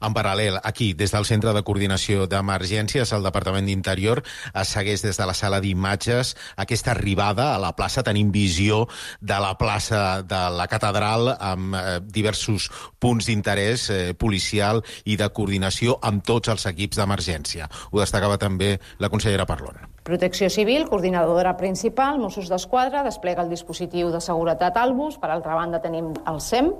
En paral·lel, aquí, des del Centre de Coordinació d'Emergències, el Departament d'Interior es segueix des de la sala d'imatges aquesta arribada a la plaça. Tenim visió de la plaça de la catedral amb diversos punts d'interès policial i de coordinació amb tots els equips d'emergència. Ho destacava també la consellera Parlon. Protecció Civil, coordinadora principal, Mossos d'Esquadra, desplega el dispositiu de seguretat Albus. Per altra banda tenim el SEM,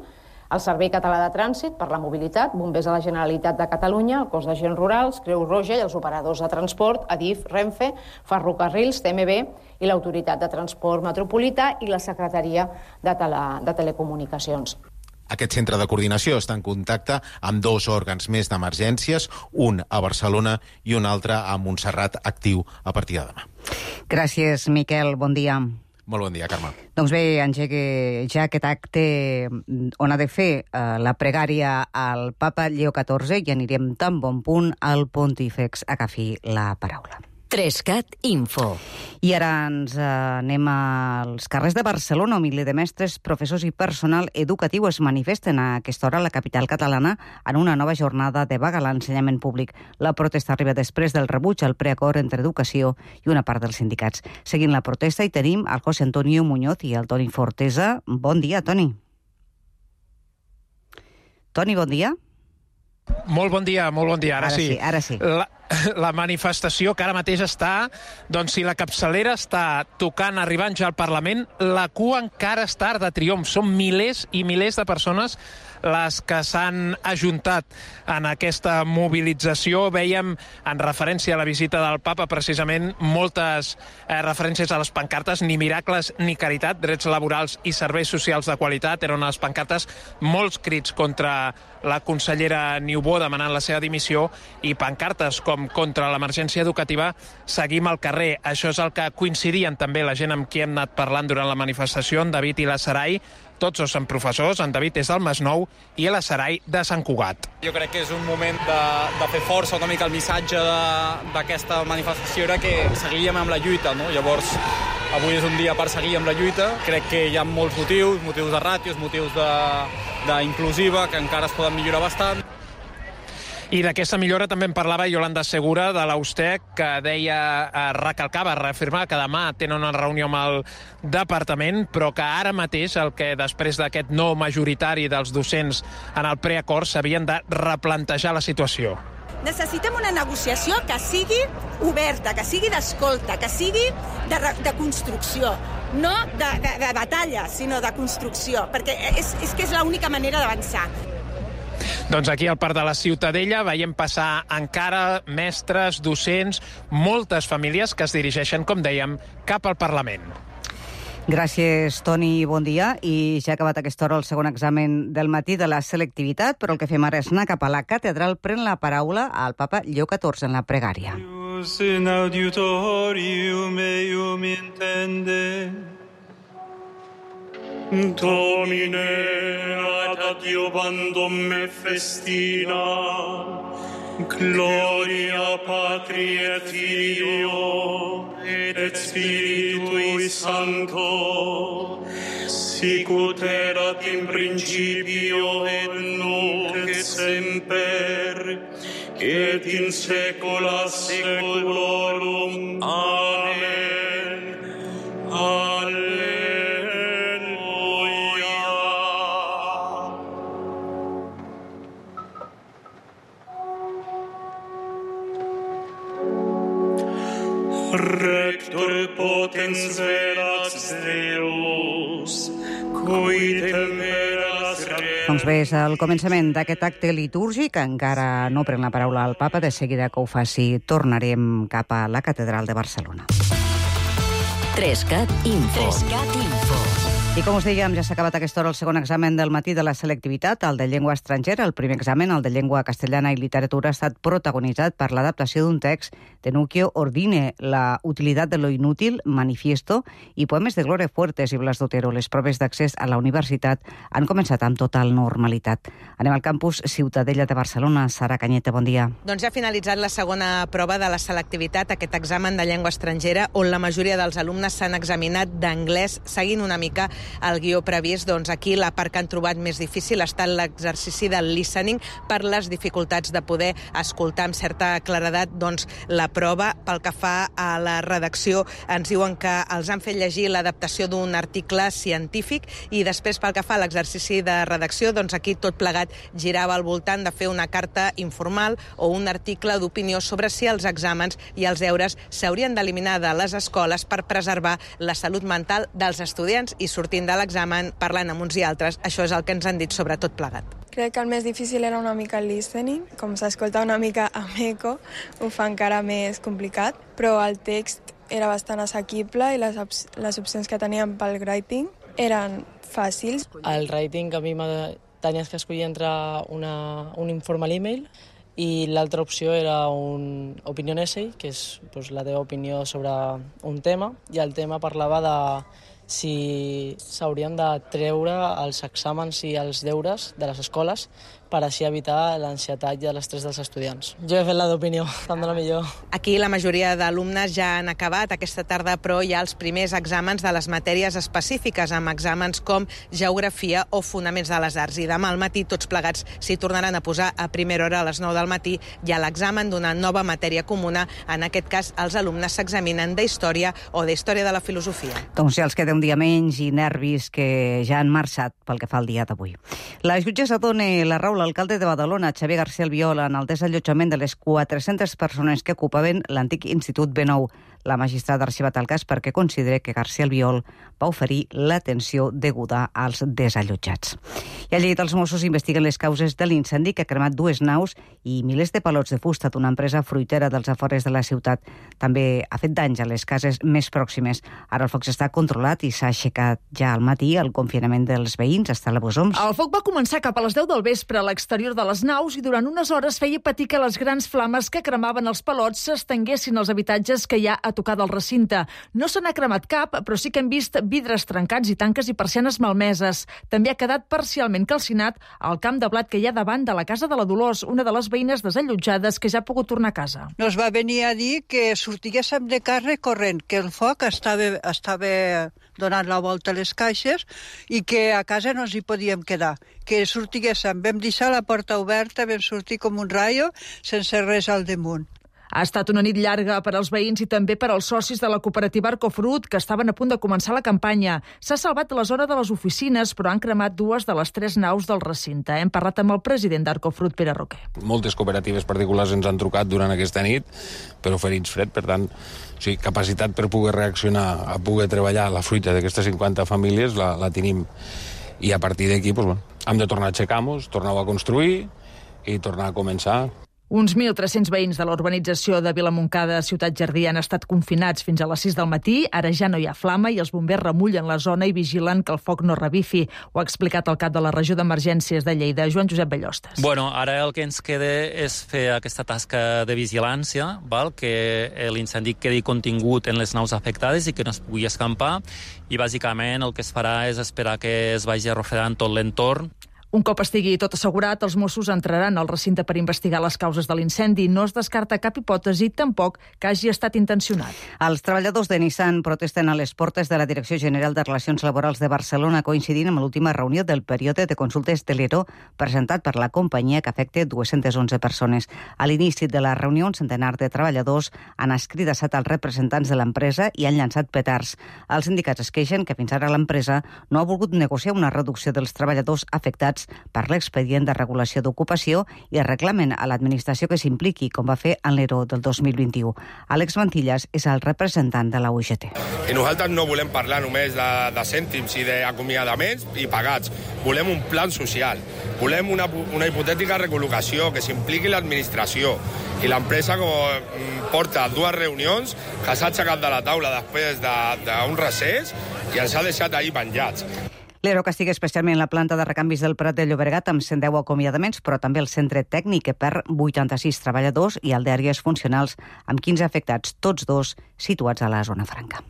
el Servei Català de Trànsit per la Mobilitat, Bombers de la Generalitat de Catalunya, el Cos d'Agents Rurals, Creu Roja i els operadors de transport, Adif, Renfe, Ferrocarrils, TMB i l'Autoritat de Transport Metropolità i la Secretaria de Telecomunicacions. Aquest centre de coordinació està en contacte amb 2 òrgans més d'emergències, un a Barcelona i un altre a Montserrat, actiu a partir de demà. Gràcies, Miquel. Bon dia. Molt bon dia, Carme. Doncs bé, engega ja aquest acte on ha de fer la pregària al papa Lleó XIV i anirem tan bon punt al Pontífex. Agafi la paraula. 3CAT Info. I ara ens anem als carrers de Barcelona, on miler de mestres, professors i personal educatiu es manifesten a aquesta hora a la capital catalana en una nova jornada de vaga a l'ensenyament públic. La protesta arriba després del rebuig al preacord entre educació i una part dels sindicats. Seguint la protesta hi tenim el José Antonio Muñoz i el Toni Fortesa. Bon dia, Toni. Toni, bon dia. Molt bon dia, ara sí. Ara sí. La manifestació que ara mateix està, doncs si la capçalera està tocant, arribant ja al Parlament, la cua encara està de triomf. Són milers i milers de persones les que s'han ajuntat en aquesta mobilització. Vèiem, en referència a la visita del papa, precisament moltes referències a les pancartes, ni miracles ni caritat, drets laborals i serveis socials de qualitat. Eren les pancartes, molts crits contra la consellera Niubó demanant la seva dimissió i pancartes com contra l'emergència educativa. Seguim al carrer. Això és el que coincidien també la gent amb qui hem anat parlant durant la manifestació, en David i la Sarai. Tots dos són professors, en David és del Masnou i la Sarai de Sant Cugat. Jo crec que és un moment de fer força, una mica el missatge d'aquesta manifestació era que seguiríem amb la lluita, no? Llavors, avui és un dia per seguir amb la lluita. Crec que hi ha molts motius de ràtios, motius d'inclusiva, que encara es poden millorar bastant. I d'aquesta millora també en parlava Yolanda Segura, de l'Austec, que recalcava, reafirmava que demà tenen una reunió amb el departament, però que ara mateix, després d'aquest no majoritari dels docents en el preacord, s'havien de replantejar la situació. Necessitem una negociació que sigui oberta, que sigui d'escolta, que sigui de construcció, no de batalla, sinó de construcció, perquè és que és l'única manera d'avançar. Doncs aquí al Parc de la Ciutadella veiem passar encara mestres, docents, moltes famílies que es dirigeixen, com dèiem, cap al Parlament. Gràcies, Toni, bon dia. I ja ha acabat a aquesta hora el segon examen del matí de la selectivitat, però el que fem ara és anar cap a la catedral. Pren la paraula al papa Lleó XIV en la pregària. In auditorium eum intende Domine ad adiobandum me festina Gloria Patri et Filio et Spiritui Sancto sicut erat in principio et nunc et semper et in saecula saeculorum. Amen. Alleluia. Rector potens verat Deus, cui temperas re... Doncs bé, és el començament d'aquest acte litúrgic. Encara no pren la paraula al papa. De seguida que ho faci, tornarem cap a la catedral de Barcelona. 3CAT Info. 3CAT Info. I com us dèiem, ja s'ha acabat a aquesta hora el segon examen del matí de la selectivitat, el de llengua estrangera. El primer examen, el de llengua castellana i literatura, ha estat protagonitzat per l'adaptació d'un text de Nuccio Ordine, La utilidad de lo inútil, Manifiesto, i poemes de Gloria Fuertes i Blas d'Otero. Les proves d'accés a la universitat han començat amb total normalitat. Anem al campus Ciutadella de Barcelona. Sara Canyete, bon dia. Doncs ja ha finalitzat la segona prova de la selectivitat, aquest examen de llengua estrangera, on la majoria dels alumnes s'han examinat d'anglès, seguint una mica el guió previst. Doncs aquí la part que han trobat més difícil ha estat l'exercici del listening per les dificultats de poder escoltar amb certa claredat doncs, la prova. Pel que fa a la redacció, ens diuen que els han fet llegir l'adaptació d'un article científic i després pel que fa a l'exercici de redacció, doncs aquí tot plegat girava al voltant de fer una carta informal o un article d'opinió sobre si els exàmens i els deures s'haurien d'eliminar de les escoles per preservar la salut mental dels estudiants i sortint de l'examen parlant amb uns i altres. Això és el que ens han dit sobre tot plegat. Crec que el més difícil era una mica el listening. Com s'escolta una mica amb eco, ho fa encara més complicat, però el text era bastant assequible i les opcions que teníem pel writing eren fàcils. El writing a mi tenies que escollir entre un informal email i l'altra opció era un opinion essay, que és la teva opinió sobre un tema, i el tema parlava de si s'haurien de treure els exàmens i els deures de les escoles per així evitar l'ansietat i l'estrès dels estudiants. Jo he fet la d'opinió, tant de la millor. Aquí la majoria d'alumnes ja han acabat aquesta tarda, però hi ha els primers exàmens de les matèries específiques, amb exàmens com geografia o fonaments de les arts. I demà al matí tots plegats s'hi tornaran a posar a primera hora a les 9 del matí. Hi ha l'examen d'una nova matèria comuna. En aquest cas, els alumnes s'examinen d'història o d'història de la filosofia. Doncs ja els queda un dia menys i nervis que ja han marxat pel que fa al dia d'avui. La jutgessa dona la raó l'alcalde de Badalona, Xavier García Albiol, en el desallotjament de les 400 persones que ocupaven l'antic Institut B9. La magistrada ha arxivat el cas perquè considera que García Albiol va oferir l'atenció deguda als desallotjats. I a Lleida els Mossos investiguen les causes de l'incendi que ha cremat 2 naus i milers de palots de fusta d'una empresa fruitera dels afores de la ciutat. També ha fet danys a les cases més pròximes. Ara el foc està controlat i s'ha aixecat ja al matí el confinament dels veïns. Està a la Bosoms. El foc va començar cap a les 10 del vespre a l'exterior de les naus i durant unes hores feia patir que les grans flames que cremaven els palots s'estenguessin als habitatges que hi ha a tocar del recinte. No se n'ha cremat cap, però sí que hem vist vidres trencats i tanques i persianes malmeses. També ha quedat parcialment calcinat el camp de blat que hi ha davant de la casa de la Dolors, una de les veïnes desallotjades que ja ha pogut tornar a casa. Nos va venir a dir que sortiguéssim de casa corrent, que el foc estava donant la volta a les caixes i que a casa no ens hi podíem quedar. Que sortiguéssim, vam deixar la porta oberta, vam sortir com un raio sense res al damunt. Ha estat una nit llarga per als veïns i també per als socis de la cooperativa Arcofrut, que estaven a punt de començar la campanya. S'ha salvat la zona de les oficines, però han cremat 2 de les 3 naus del recinte. Hem parlat amb el president d'Arcofrut, Pere Roquer. Moltes cooperatives particulars ens han trucat durant aquesta nit per oferir-nos fred, per tant, sí, capacitat per poder reaccionar, a poder treballar la fruita d'aquestes 50 famílies la tenim. I a partir d'aquí, hem de tornar a aixecar-nos, tornar a construir, i tornar a començar. Uns 1.300 veïns de la urbanització de Vilamontcada, Ciutat Jardí, han estat confinats fins a les 6 del matí. Ara ja no hi ha flama i els bombers remullen la zona i vigilen que el foc no revifi. Ho ha explicat el cap de la regió d'emergències de Lleida, Joan Josep Bellostes. Bueno, ara el que ens queda és fer aquesta tasca de vigilància, val? Que l'incendi quedi contingut en les naus afectades i que no es pugui escampar. I bàsicament el que es farà és esperar que es vagi arrofegant tot l'entorn. Un cop estigui tot assegurat, els Mossos entraran al recinte per investigar les causes de l'incendi. No es descarta cap hipòtesi, tampoc que hagi estat intencionat. Els treballadors de Nissan protesten a les portes de la Direcció General de Relacions Laborals de Barcelona, coincidint amb l'última reunió del període de consultes de l'ERO presentat per la companyia que afecta 211 persones. A l'inici de la reunió, un centenar de treballadors han escridassat als representants de l'empresa i han llançat petards. Els sindicats es queixen que fins ara l'empresa no ha volgut negociar una reducció dels treballadors afectats per l'expedient de regulació d'ocupació i reclamen a l'administració que s'impliqui, com va fer en l'ERO del 2021. Àlex Mantillas és el representant de la UGT. I nosaltres no volem parlar només de cèntims i d'acomiadaments i pagats. Volem un plan social. Volem una hipotètica recol·locació, que s'impliqui l'administració. I l'empresa, com porta 2 reunions, que s'ha aixecat de la taula després d'un recés i ens ha deixat ahir penjats. L'ERO castiga especialment la planta de recanvis del Prat de Llobregat amb 110 acomiadaments, però també el centre tècnic que perd 86 treballadors i el d'àrees funcionals amb 15 afectats, tots dos situats a la zona franca.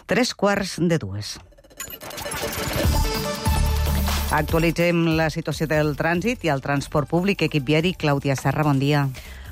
3:45. Actualitzem la situació del trànsit i el transport públic. Equip viari, Clàudia Serra, bon dia.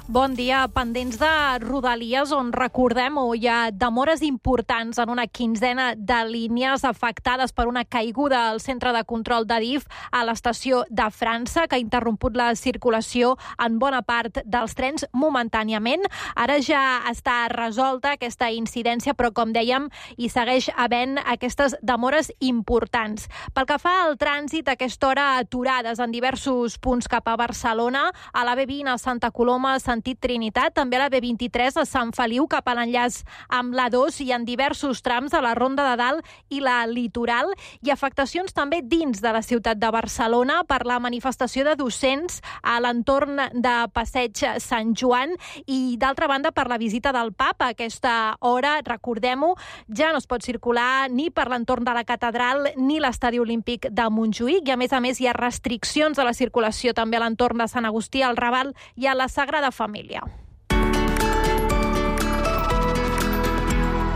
Bon dia. Pendents de Rodalies, on recordem hi ha demores importants en una quinzena de línies afectades per una caiguda al centre de control d'Adif a l'estació de França, que ha interromput la circulació en bona part dels trens momentàniament. Ara ja està resolta aquesta incidència, però com dèiem, hi segueix havent aquestes demores importants. Pel que fa al trànsit, a aquesta hora aturades en diversos punts cap a Barcelona, a la B20 a Santa Coloma, sentit Trinitat, també a la B23 a Sant Feliu cap a l'enllaç amb l'A2 i en diversos trams de la Ronda de Dalt i la Litoral, i afectacions també dins de la ciutat de Barcelona per la manifestació de docents a l'entorn de Passeig Sant Joan i, d'altra banda, per la visita del Papa. A aquesta hora, recordem-ho, ja no es pot circular ni per l'entorn de la catedral ni l'estadi olímpic de Montjuïc, i a més hi ha restriccions de la circulació també a l'entorn de Sant Agustí, al Raval i a la Sagrada Família.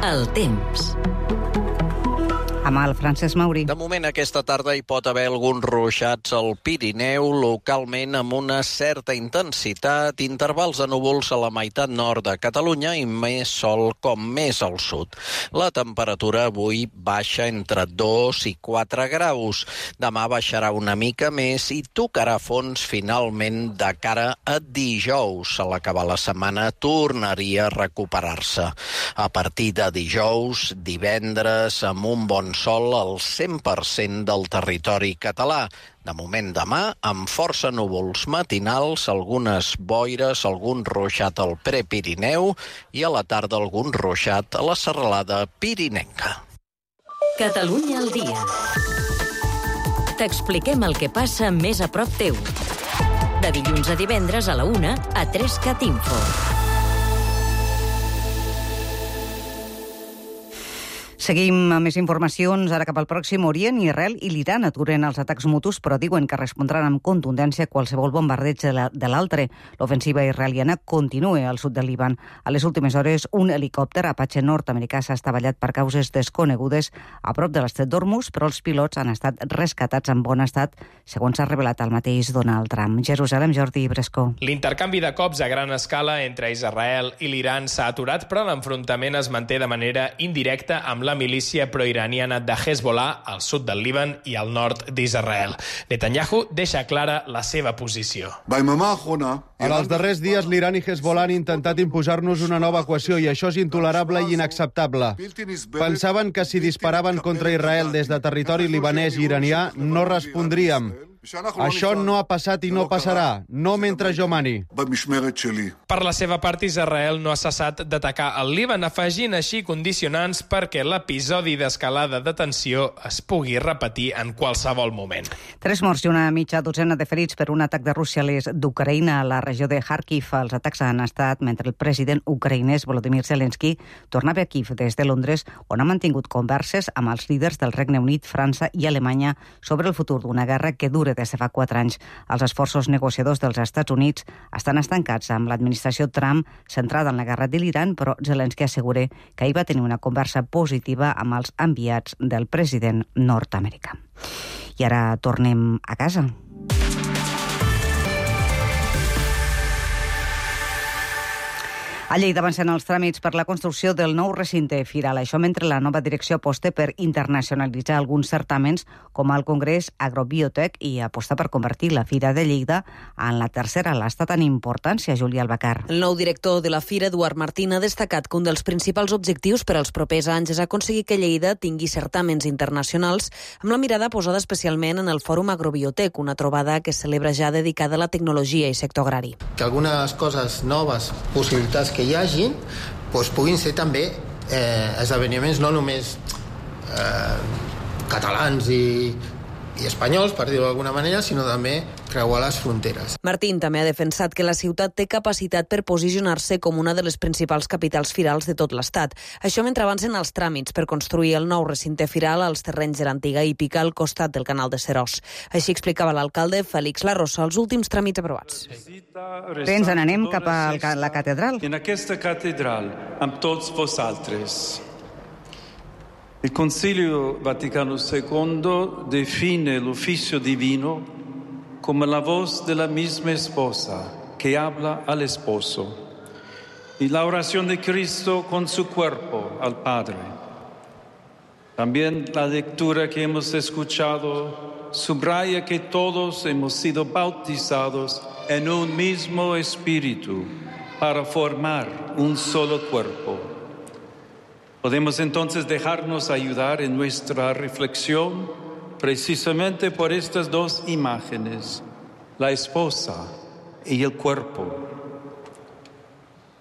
El temps. Amb el Francesc Mauri. De moment, aquesta tarda hi pot haver alguns ruixats al Pirineu, localment amb una certa intensitat, intervals de núvols a la meitat nord de Catalunya i més sol com més al sud. La temperatura avui baixa entre 2 i 4 graus. Demà baixarà una mica més i tocarà fons finalment de cara a dijous. A l'acabar la setmana tornaria a recuperar-se. A partir de dijous, divendres, amb un bon sol al 100% del territori català. De moment demà, amb força núvols matinals, algunes boires, algun ruixat al Prepirineu i a la tarda algun ruixat a la serralada pirinenca. Catalunya al dia. T'expliquem el que passa més a prop teu. De dilluns a divendres a la 1 a 3cat Info. Seguim amb més informacions. Ara cap al Pròxim Orient, Israel i l'Iran aturen els atacs mutus, però diuen que respondran amb contundència qualsevol bombardeig de l'altre. L'ofensiva israeliana continua al sud del Líban. A les últimes hores, un helicòpter Apache nord-americà s'ha estavellat per causes desconegudes a prop de l'estret d'Hormuz, però els pilots han estat rescatats en bon estat, segons s'ha revelat el mateix Donald Trump. Jerusalem, Jordi Brescó. L'intercanvi de cops a gran escala entre Israel i l'Iran s'ha aturat, però l'enfrontament es manté de manera indirecta amb la milícia proiraniana de Hezbollah al sud del Líban i al nord d'Israel. Netanyahu deixa clara la seva posició. En els darrers dies, l'Iran i Hezbollah han intentat imposar-nos una nova equació i això és intolerable i inacceptable. Pensaven que si disparaven contra Israel des de territori libanès i iranià no respondríem. Això no ha passat i no passarà, no mentre jo mani. Per la seva part, Israel no ha cessat d'atacar el Líban, afegint així condicionants perquè l'episodi d'escalada de tensió es pugui repetir en qualsevol moment. 3 morts i una mitja dotzena de ferits per un atac de Rússia a l'est d'Ucraïna a la regió de Kharkiv. Els atacs han estat mentre el president ucraïnès Volodymyr Zelensky tornava a Kiev des de Londres, on ha mantingut converses amb els líders del Regne Unit, França i Alemanya sobre el futur d'una guerra que dura des de fa 4 anys. Els esforços negociadors dels Estats Units estan estancats amb l'administració Trump centrada en la guerra de l'Iran, però Zelensky assegura que ahir va tenir una conversa positiva amb els enviats del president nord-americà. I ara tornem a casa. A Lleida avancen els tràmits per la construcció del nou recinte firal. Això mentre la nova direcció aposta per internacionalitzar alguns certàmens com el Congrés Agrobiotech i aposta per convertir la Fira de Lleida en la tercera a l'estat en importància, Júlia Albacar. El nou director de la Fira, Eduard Martín, ha destacat que un dels principals objectius per als propers anys és aconseguir que Lleida tingui certàmens internacionals amb la mirada posada especialment en el Fòrum Agrobiotech, una trobada que es celebra ja dedicada a la tecnologia i sector agrari. Que algunes coses noves, possibilitats que hi hagi, doncs puguin ser també esdeveniments no només catalans i espanyols, per dir-ho d'alguna manera, sinó també creuar les fronteres. Martín també ha defensat que la ciutat té capacitat per posicionar-se com una de les principals capitals firals de tot l'Estat. Això mentre avancen els tràmits per construir el nou recinte firal als terrenys de l'antiga hípica al costat del canal de Seròs. Així explicava l'alcalde Félix Larrosa els últims tràmits aprovats. Ens n'anem cap a la catedral. En aquesta catedral, amb tots vosaltres. Il Concilio Vaticano II define l'ufficio divino como la voz de la misma esposa que habla al esposo y la oración de Cristo con su cuerpo al Padre. También la lectura que hemos escuchado subraya que todos hemos sido bautizados en un mismo espíritu para formar un solo cuerpo. Podemos entonces dejarnos ayudar en nuestra reflexión precisamente por estas dos imágenes, la esposa y el cuerpo.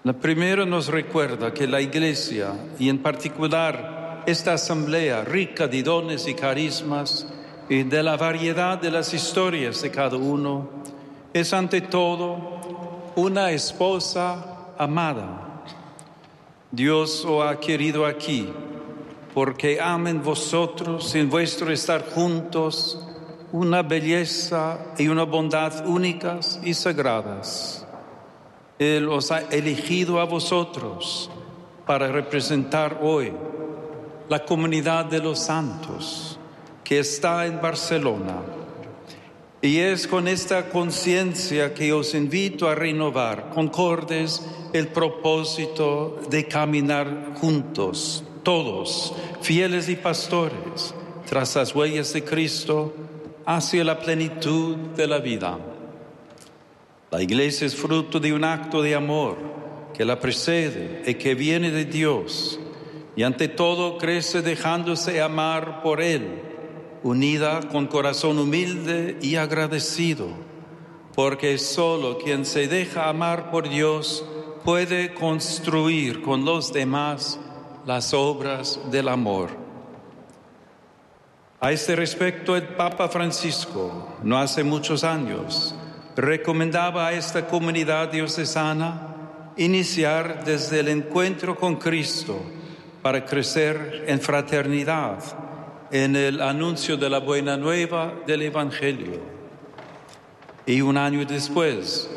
La primera nos recuerda que la Iglesia, y en particular esta asamblea rica de dones y carismas y de la variedad de las historias de cada uno, es ante todo una esposa amada. Dios os ha querido aquí, porque amen vosotros en vuestro estar juntos una belleza y una bondad únicas y sagradas. Él os ha elegido a vosotros para representar hoy la comunidad de los santos que está en Barcelona. Y es con esta conciencia que os invito a renovar, concordes, el propósito de caminar juntos, todos, fieles y pastores, tras las huellas de Cristo, hacia la plenitud de la vida. La Iglesia es fruto de un acto de amor que la precede y que viene de Dios, y ante todo crece dejándose amar por Él, unida con corazón humilde y agradecido, porque solo quien se deja amar por Dios puede construir con los demás las obras del amor. A este respecto, el Papa Francisco, no hace muchos años, recomendaba a esta comunidad diocesana iniciar desde el encuentro con Cristo para crecer en fraternidad, en el anuncio de la buena nueva del Evangelio. Y un año después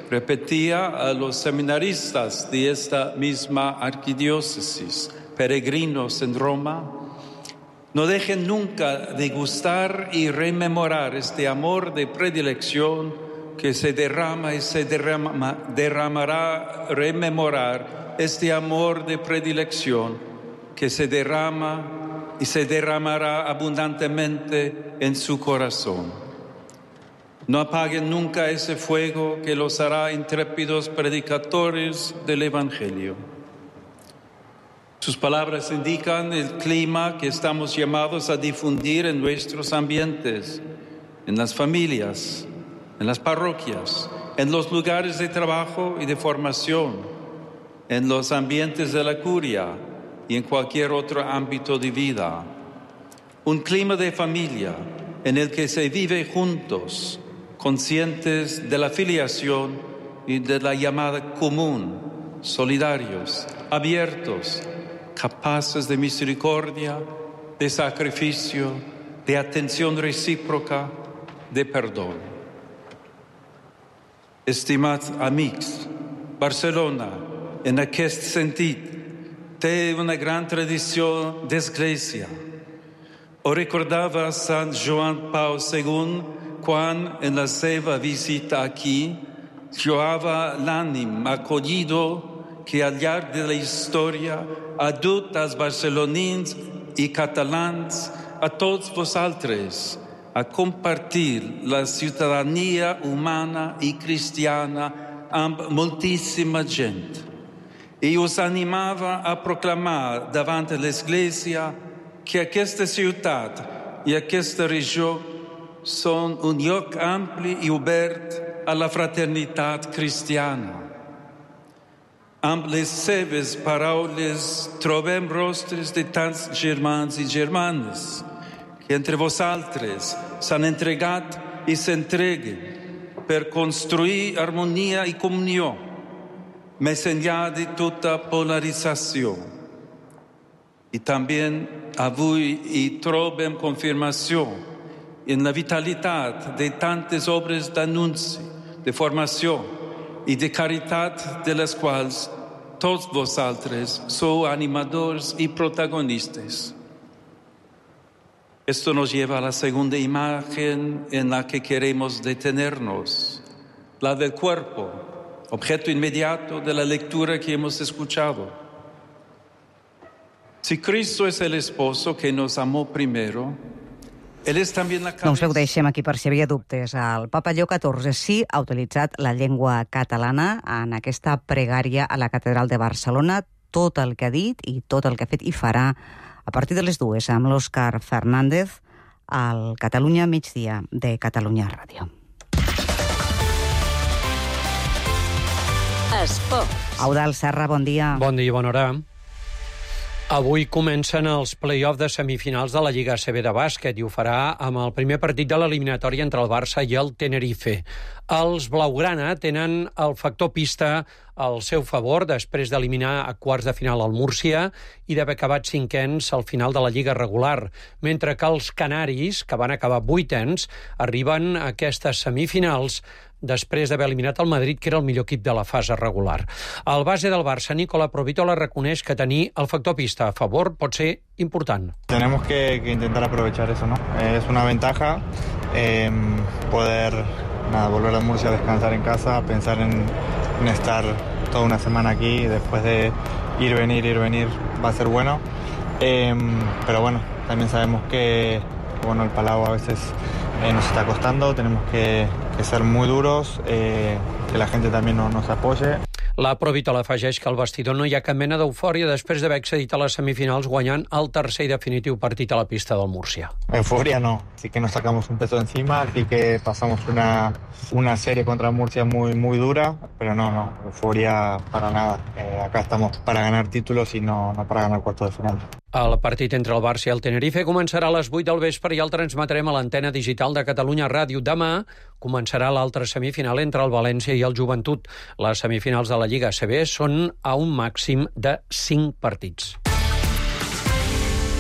repetía a los seminaristas de esta misma arquidiócesis, peregrinos en Roma, no dejen nunca de gustar y rememorar este amor de predilección que se derrama y se derramará, rememorar este amor de predilección que se derrama y se derramará abundantemente en su corazón. No apaguen nunca ese fuego que los hará intrépidos predicadores del Evangelio. Sus palabras indican el clima que estamos llamados a difundir en nuestros ambientes, en las familias, en las parroquias, en los lugares de trabajo y de formación, en los ambientes de la curia y en cualquier otro ámbito de vida. Un clima de familia en el que se vive juntos, conscientes de la filiación y de la llamada común, solidarios, abiertos, capaces de misericordia, de sacrificio, de atención recíproca, de perdó. Estimats amics, Barcelona, en aquest sentit, té una gran tradició d'església. Ho recordava Sant Joan Pau II quan, en la seva visita aquí, lloava l'ànim acollido que al llarg de la història ha dut als barcelonins i catalans, a tots vosaltres, a compartir la ciutadania humana i cristiana amb moltíssima gent. I us animava a proclamar davant l'Església que aquesta ciutat i aquesta regió són un lloc ampli i obert a la fraternitat cristiana. Amb les seves paraules trobem rostres de tants germans i germanes que entre vosaltres s'han entregat i s'entreguen per construir harmonia i comunió, més enllà de tota polarització. I també avui hi trobem confirmació en la vitalitat de tantes obres d'anunci, de formació i de caritat de les quals tots vosaltres sou animadors i protagonistes. Esto nos lleva a la segunda imagen en la que queremos detenernos, la del cuerpo, objeto inmediato de la lectura que hemos escuchado. Si Cristo es el esposo que nos amó primero, Él es también la cabeza. Doncs ho deixem aquí per si havia dubtes. El papa Lleó XIV sí ha utilitzat la llengua catalana en aquesta pregària a la Catedral de Barcelona. Tot el que ha dit i tot el que ha fet i farà a partir de les 2 amb l'Òscar Fernández al Catalunya Migdia de Catalunya Ràdio. Esport. Eudald Serra, bon dia. Bon dia i bona hora. Avui comencen els play-offs de semifinals de la Lliga ACB de bàsquet i ho farà amb el primer partit de l'eliminatòria entre el Barça i el Tenerife. Els blaugrana tenen el factor pista al seu favor després d'eliminar a quarts de final el Múrcia i d'haver acabat cinquens al final de la Lliga regular, mentre que els canaris, que van acabar vuitens, arriben a aquestes semifinals després d'haver eliminat el Madrid, que era el millor equip de la fase regular. El base del Barça, Nicola Provitola, reconeix que tenir el factor pista a favor pot ser important. Tenemos que intentar aprovechar eso, ¿no? Es una ventaja poder volver a Murcia a descansar en casa, pensar en estar toda una semana aquí, después de ir, venir, va a ser bueno. Pero bueno, también sabemos que el Palau a veces nos está costando, tenemos que ser muy duros, que la gente también nos apoye. La Provitola afegeix que al vestidor no hi ha cap mena d'eufòria després d'haver accedit a les semifinals guanyant el tercer i definitiu partit a la pista del Múrcia. Euforia no, sí que nos sacamos un peso encima, sí que pasamos una serie contra Murcia muy dura, pero no, euforia para nada. Acá estamos para ganar títulos y no para ganar cuartos de final. El partit entre el Barça i el Tenerife començarà a les 8 del vespre i el transmetrem a l'antena digital de Catalunya Ràdio. Demà començarà l'altra semifinal entre el València i el Joventut. Les semifinals de la Lliga ACB són a un màxim de 5 partits.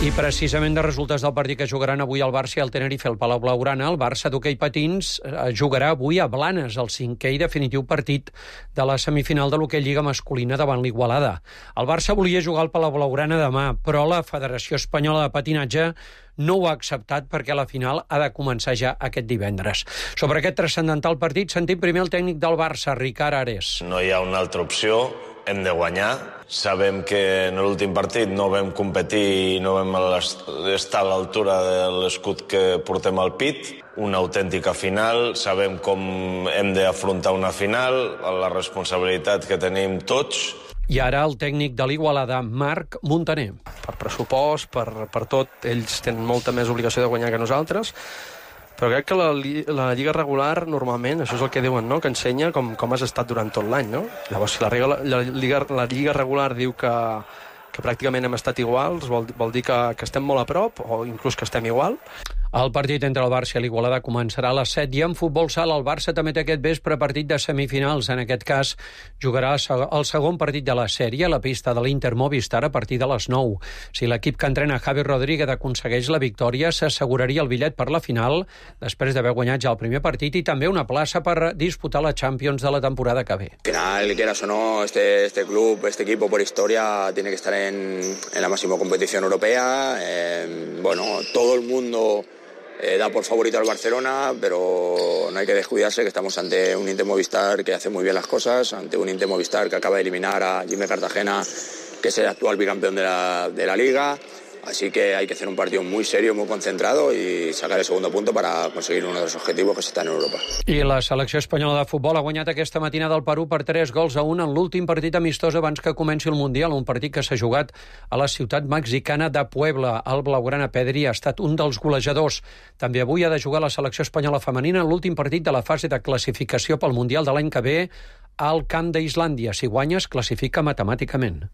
I precisament de resultats del partit que jugaran avui el Barça i el Tenerife al Palau Blaugrana, el Barça d'hoquei patins jugarà avui a Blanes, el 5è i definitiu partit de la semifinal de l'hoquei Lliga masculina davant l'Igualada. El Barça volia jugar al Palau Blaugrana demà, però la Federació Espanyola de Patinatge no ho ha acceptat perquè la final ha de començar ja aquest divendres. Sobre aquest transcendental partit sentim primer el tècnic del Barça, Ricard Ares. No hi ha una altra opció, hem de guanyar. Sabem que en l'últim partit no vam competir i no vam estar a l'altura de l'escut que portem al pit. Una autèntica final, sabem com hem d'afrontar una final, la responsabilitat que tenim tots. I ara el tècnic de l'Igualada, Marc Montaner. Per pressupost, per tot, ells tenen molta més obligació de guanyar que nosaltres. Però crec que la lliga regular, normalment, això és el que diuen, no?, que ensenya com has estat durant tot l'any, no? Llavors, si la lliga regular diu que pràcticament hem estat iguals, vol dir que estem molt a prop, o inclús que estem igual. El partit entre el Barça i l'Igualada començarà a les 7 i en futbol sala el Barça també té aquest vespre partit de semifinals. En aquest cas jugarà el segon partit de la sèrie a la pista de l'Inter Movistar a partir de les 9. Si l'equip que entrena Javi Rodríguez aconsegueix la victòria, s'asseguraria el bitllet per la final després d'haver guanyat ja el primer partit i també una plaça per disputar la Champions de la temporada que ve. Al final, quieras o no, este club, este equipo por historia tiene que estar en la máxima competición europea. Todo el mundo da por favorito al Barcelona, pero no hay que descuidarse que estamos ante un Inter Movistar que hace muy bien las cosas, ante un Inter Movistar que acaba de eliminar a Jimmy Cartagena, que es el actual bicampeón de la Liga. Así que hay que hacer un partido muy serio, muy concentrado y sacar el segundo punto para conseguir uno de los objetivos que se está en Europa. I la selecció espanyola de futbol ha guanyat aquesta matinada al Perú per 3-1 en l'últim partit amistós abans que comenci el Mundial, un partit que s'ha jugat a la ciutat mexicana de Puebla. El blaugrana Pedri ha estat un dels golejadors. També avui ha de jugar la selecció espanyola femenina en l'últim partit de la fase de classificació pel Mundial de l'any que ve al camp d'Islàndia. Si guanya, es classifica matemàticament.